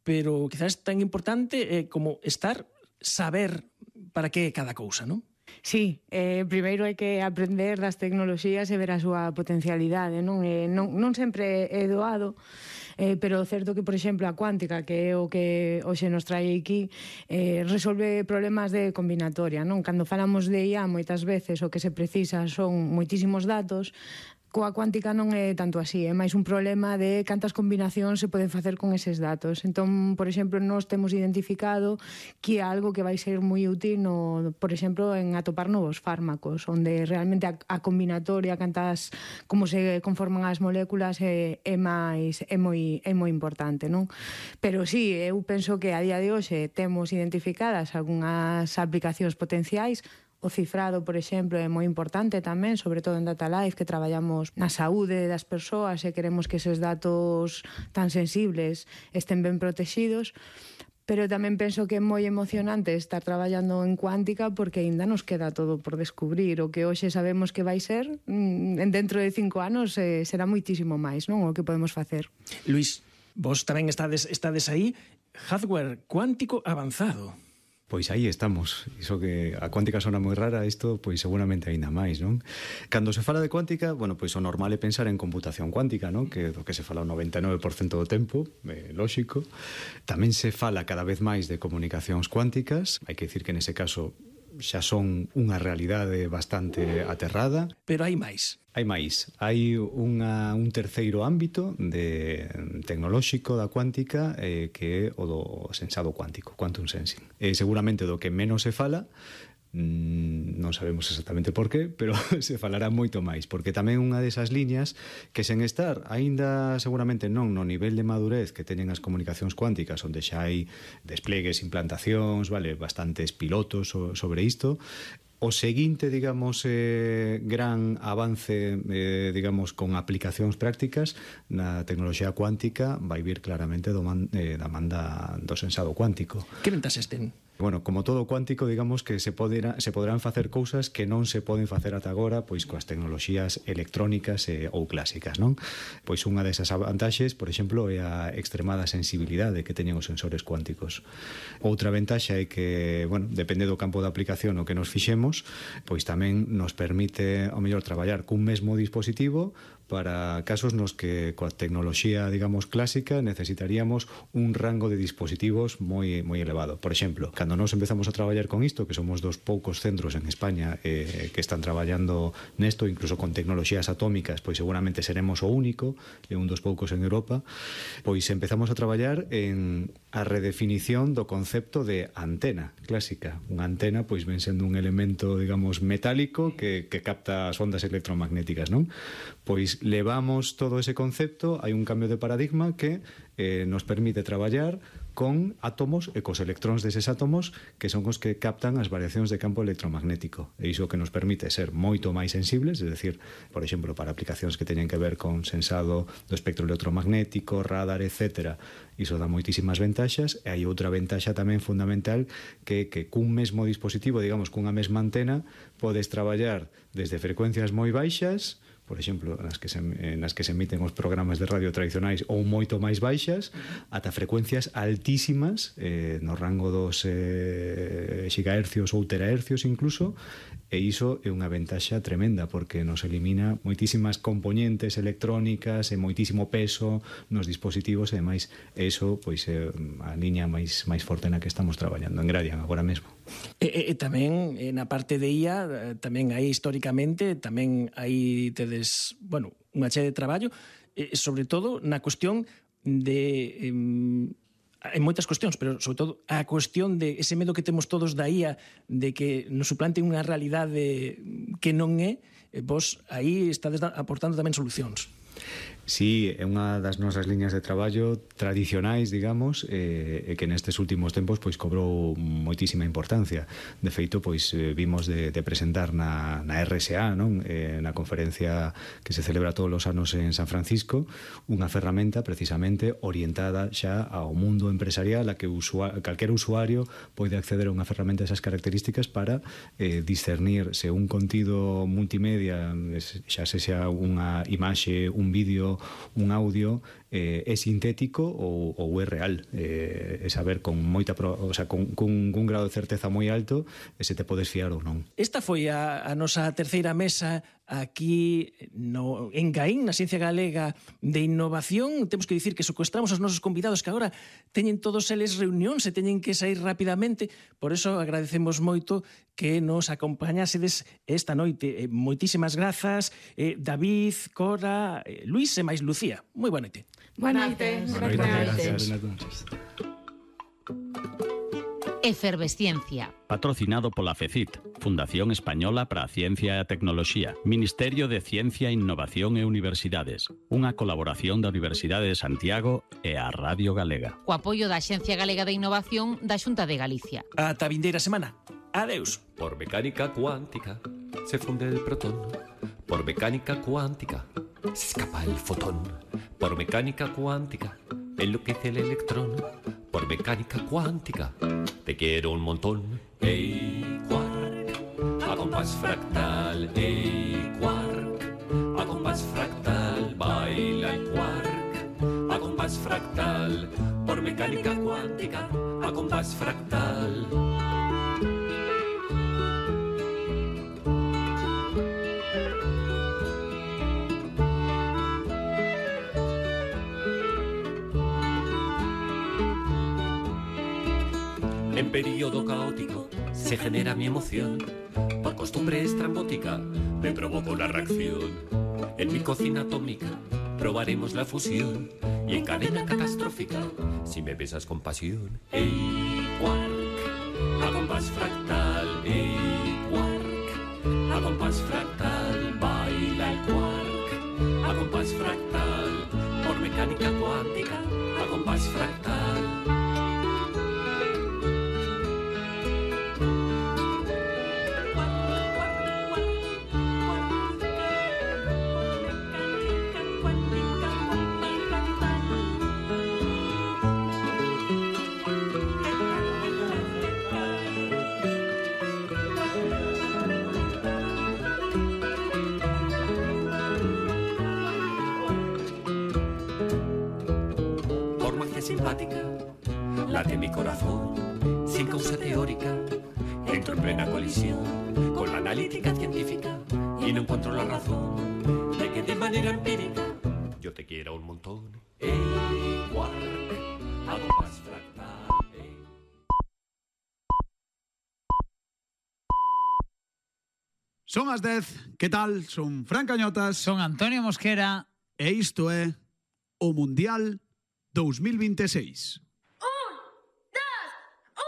pero quizás tan importante é como estar, saber para que é cada cousa, non? Sí, eh, primeiro hai que aprender das tecnoloxías e ver a súa potencialidade, non? Eh, non, non sempre é doado, eh, pero o certo que, por exemplo, a cuántica, que é o que hoxe nos trae aquí, eh, resolve problemas de combinatoria, non? Cando falamos de I A, moitas veces o que se precisa son moitísimos datos. Coa cuántica non é tanto así, é máis un problema de cantas combinacións se poden facer con eses datos. Entón, por exemplo, nós temos identificado que é algo que vai ser moi útil, no, por exemplo, en atopar novos fármacos, onde realmente a, a combinatoria, cantas, como se conforman as moléculas é, é máis é moi é moi importante, non? Pero sí, eu penso que a día de hoxe temos identificadas algunhas aplicacións potenciais. O cifrado, por exemplo, é moi importante tamén, sobre todo en Data Life, que traballamos na saúde das persoas e queremos que eses datos tan sensibles estén ben protegidos. Pero tamén penso que é moi emocionante estar traballando en cuántica porque aínda nos queda todo por descubrir. O que hoxe sabemos que vai ser, dentro de cinco anos eh, será moitísimo máis, non? O que podemos facer. Luís, vos tamén estades, estades aí, hardware cuántico avanzado. Pois aí estamos. Iso que a cuántica sona moi rara, isto pois seguramente aínda máis, non? Cando se fala de cuántica, bueno, pois o normal é pensar en computación cuántica, non? Que do que se fala o noventa e nove por cento do tempo, é lóxico. Tamén se fala cada vez máis de comunicacións cuánticas, hai que dicir que nese caso xa son unha realidade bastante aterrada. Pero hai máis. Hai máis. Hai unha, un terceiro ámbito de tecnolóxico da cuántica eh, que é o do sensado cuántico, quantum sensing. Eh, seguramente do que menos se fala, mm, non sabemos exactamente por qué, pero se falará moito máis, porque tamén unha desas liñas que sen estar, aínda seguramente non no nivel de madurez que teñen as comunicacións cuánticas, onde xa hai desplegues, implantacións, vale, bastantes pilotos sobre isto. O seguinte, digamos, eh, gran avance, eh, digamos, con aplicacións prácticas na tecnoloxía cuántica vai vir claramente do man, eh, da manda do sensado cuántico. Que ventaxes ten? Bueno, como todo cuántico, digamos que se, podera, se poderán facer cousas que non se poden facer ata agora pois coas tecnoloxías electrónicas eh, ou clásicas, non? Pois unha desas vantaxes, por exemplo, é a extremada sensibilidade que teñen os sensores cuánticos. Outra ventaxa é que, bueno, depende do campo de aplicación o que nos fixemos, pois tamén nos permite, ao mellor, traballar cun mesmo dispositivo para casos nos que coa tecnoloxía, digamos, clásica necesitaríamos un rango de dispositivos moi moi elevado. Por exemplo, cando nos empezamos a traballar con isto, que somos dos poucos centros en España eh, que están traballando nesto, incluso con tecnoloxías atómicas, pois seguramente seremos o único, e un dos poucos en Europa, pois empezamos a traballar en a redefinición do concepto de antena clásica. Unha antena, pois, ven sendo un elemento, digamos, metálico que, que capta as ondas electromagnéticas, non? Pois levamos todo ese concepto, hai un cambio de paradigma que eh, nos permite traballar con átomos e cos electróns deses átomos que son os que captan as variacións de campo electromagnético. E iso que nos permite ser moito máis sensibles, é dicir, por exemplo, para aplicacións que teñen que ver con sensado do espectro electromagnético, radar, etcétera. Iso dá moitísimas ventaxas, e hai outra ventaxa tamén fundamental que que cun mesmo dispositivo, digamos, cunha mesma antena, podes traballar desde frecuencias moi baixas, por exemplo, nas que se, nas que se emiten os programas de radio tradicionais ou moito máis baixas, ata frecuencias altísimas, eh, no rango dos eh, gigahercios ou terahercios incluso, e iso é unha ventaxa tremenda porque nos elimina moitísimas componentes electrónicas e moitísimo peso nos dispositivos, e ademais iso pois é a liña máis máis forte na que estamos traballando en Gradian agora mesmo. E, e, e tamén eh, na parte de I A, tamén aí históricamente, tamén aí tedes, bueno, unha chea de traballo, eh, sobre todo na cuestión de... Eh, hai moitas cuestións, pero sobre todo a cuestión de ese medo que temos todos da I A de que nos suplante unha realidade que non é, vos aí estades aportando tamén solucións. Sí, é unha das nosas liñas de traballo tradicionais, digamos, e, e que nestes últimos tempos pois cobrou moitísima importancia. De feito, pois vimos de, de presentar na, na R S A, non? Eh, na conferencia que se celebra todos os anos en San Francisco, unha ferramenta precisamente orientada xa ao mundo empresarial, a que usua, calquera usuario pode acceder a unha ferramenta desas características para eh, discernir se un contido multimedia, xa se xa unha imaxe, un vídeo, só un audio eh, é sintético ou, ou é real, eh, é saber con moita pro, o sea, con, con un grado de certeza moi alto se te podes fiar ou non. Esta foi a, a nosa terceira mesa aquí no, en Gaín, na Ciencia Galega de Innovación. Temos que dicir que secuestramos aos nosos convidados que agora teñen todos eles reunións e teñen que sair rapidamente, por eso agradecemos moito que nos acompañásedes esta noite. Moitísimas grazas, eh, David, Cora, eh, Luís e máis Lucía. Moi boa noite. Boa noite. Boa noite. Gracias. Efervesciencia. Patrocinado pola FECIT, Fundación Española para a Ciencia e a Tecnoloxía, Ministerio de Ciencia, Innovación e Universidades, unha colaboración da Universidade de Santiago e a Radio Galega. Co apoio da Axencia Galega de Innovación da Xunta de Galicia. Ata a vindeira semana. Adeus. Por mecánica cuántica se funde el protón. Por mecánica cuántica se escapa el fotón. Por mecánica cuántica enloquece el electrón. Por mecánica cuántica te quiero un montón. Ey, quark, a compás fractal. Ey, quark, a compás fractal. Baila el quark, a compás fractal. Por mecánica cuántica, a compás fractal. En periodo caótico se genera mi emoción. Por costumbre estrambótica me provoco la reacción. En mi cocina atómica probaremos la fusión. Y en cadena catastrófica, si me besas con pasión. Ey, quark, a compás fractal. Ey, quark, a compás fractal. Baila el quark, a compás fractal. Por mecánica cuántica, a compás fractal. Simpática, late mi corazón sin causa teórica. Entro en plena colisión con la analítica científica y no encuentro la razón de que de manera empírica yo te quiero un montón. Ey, quark, a compás fractal. Ey. Son as dez, que tal? Son Fran Cañotas. Son Antonio Mosquera. E isto é o Mundial dos mil vinte e seis.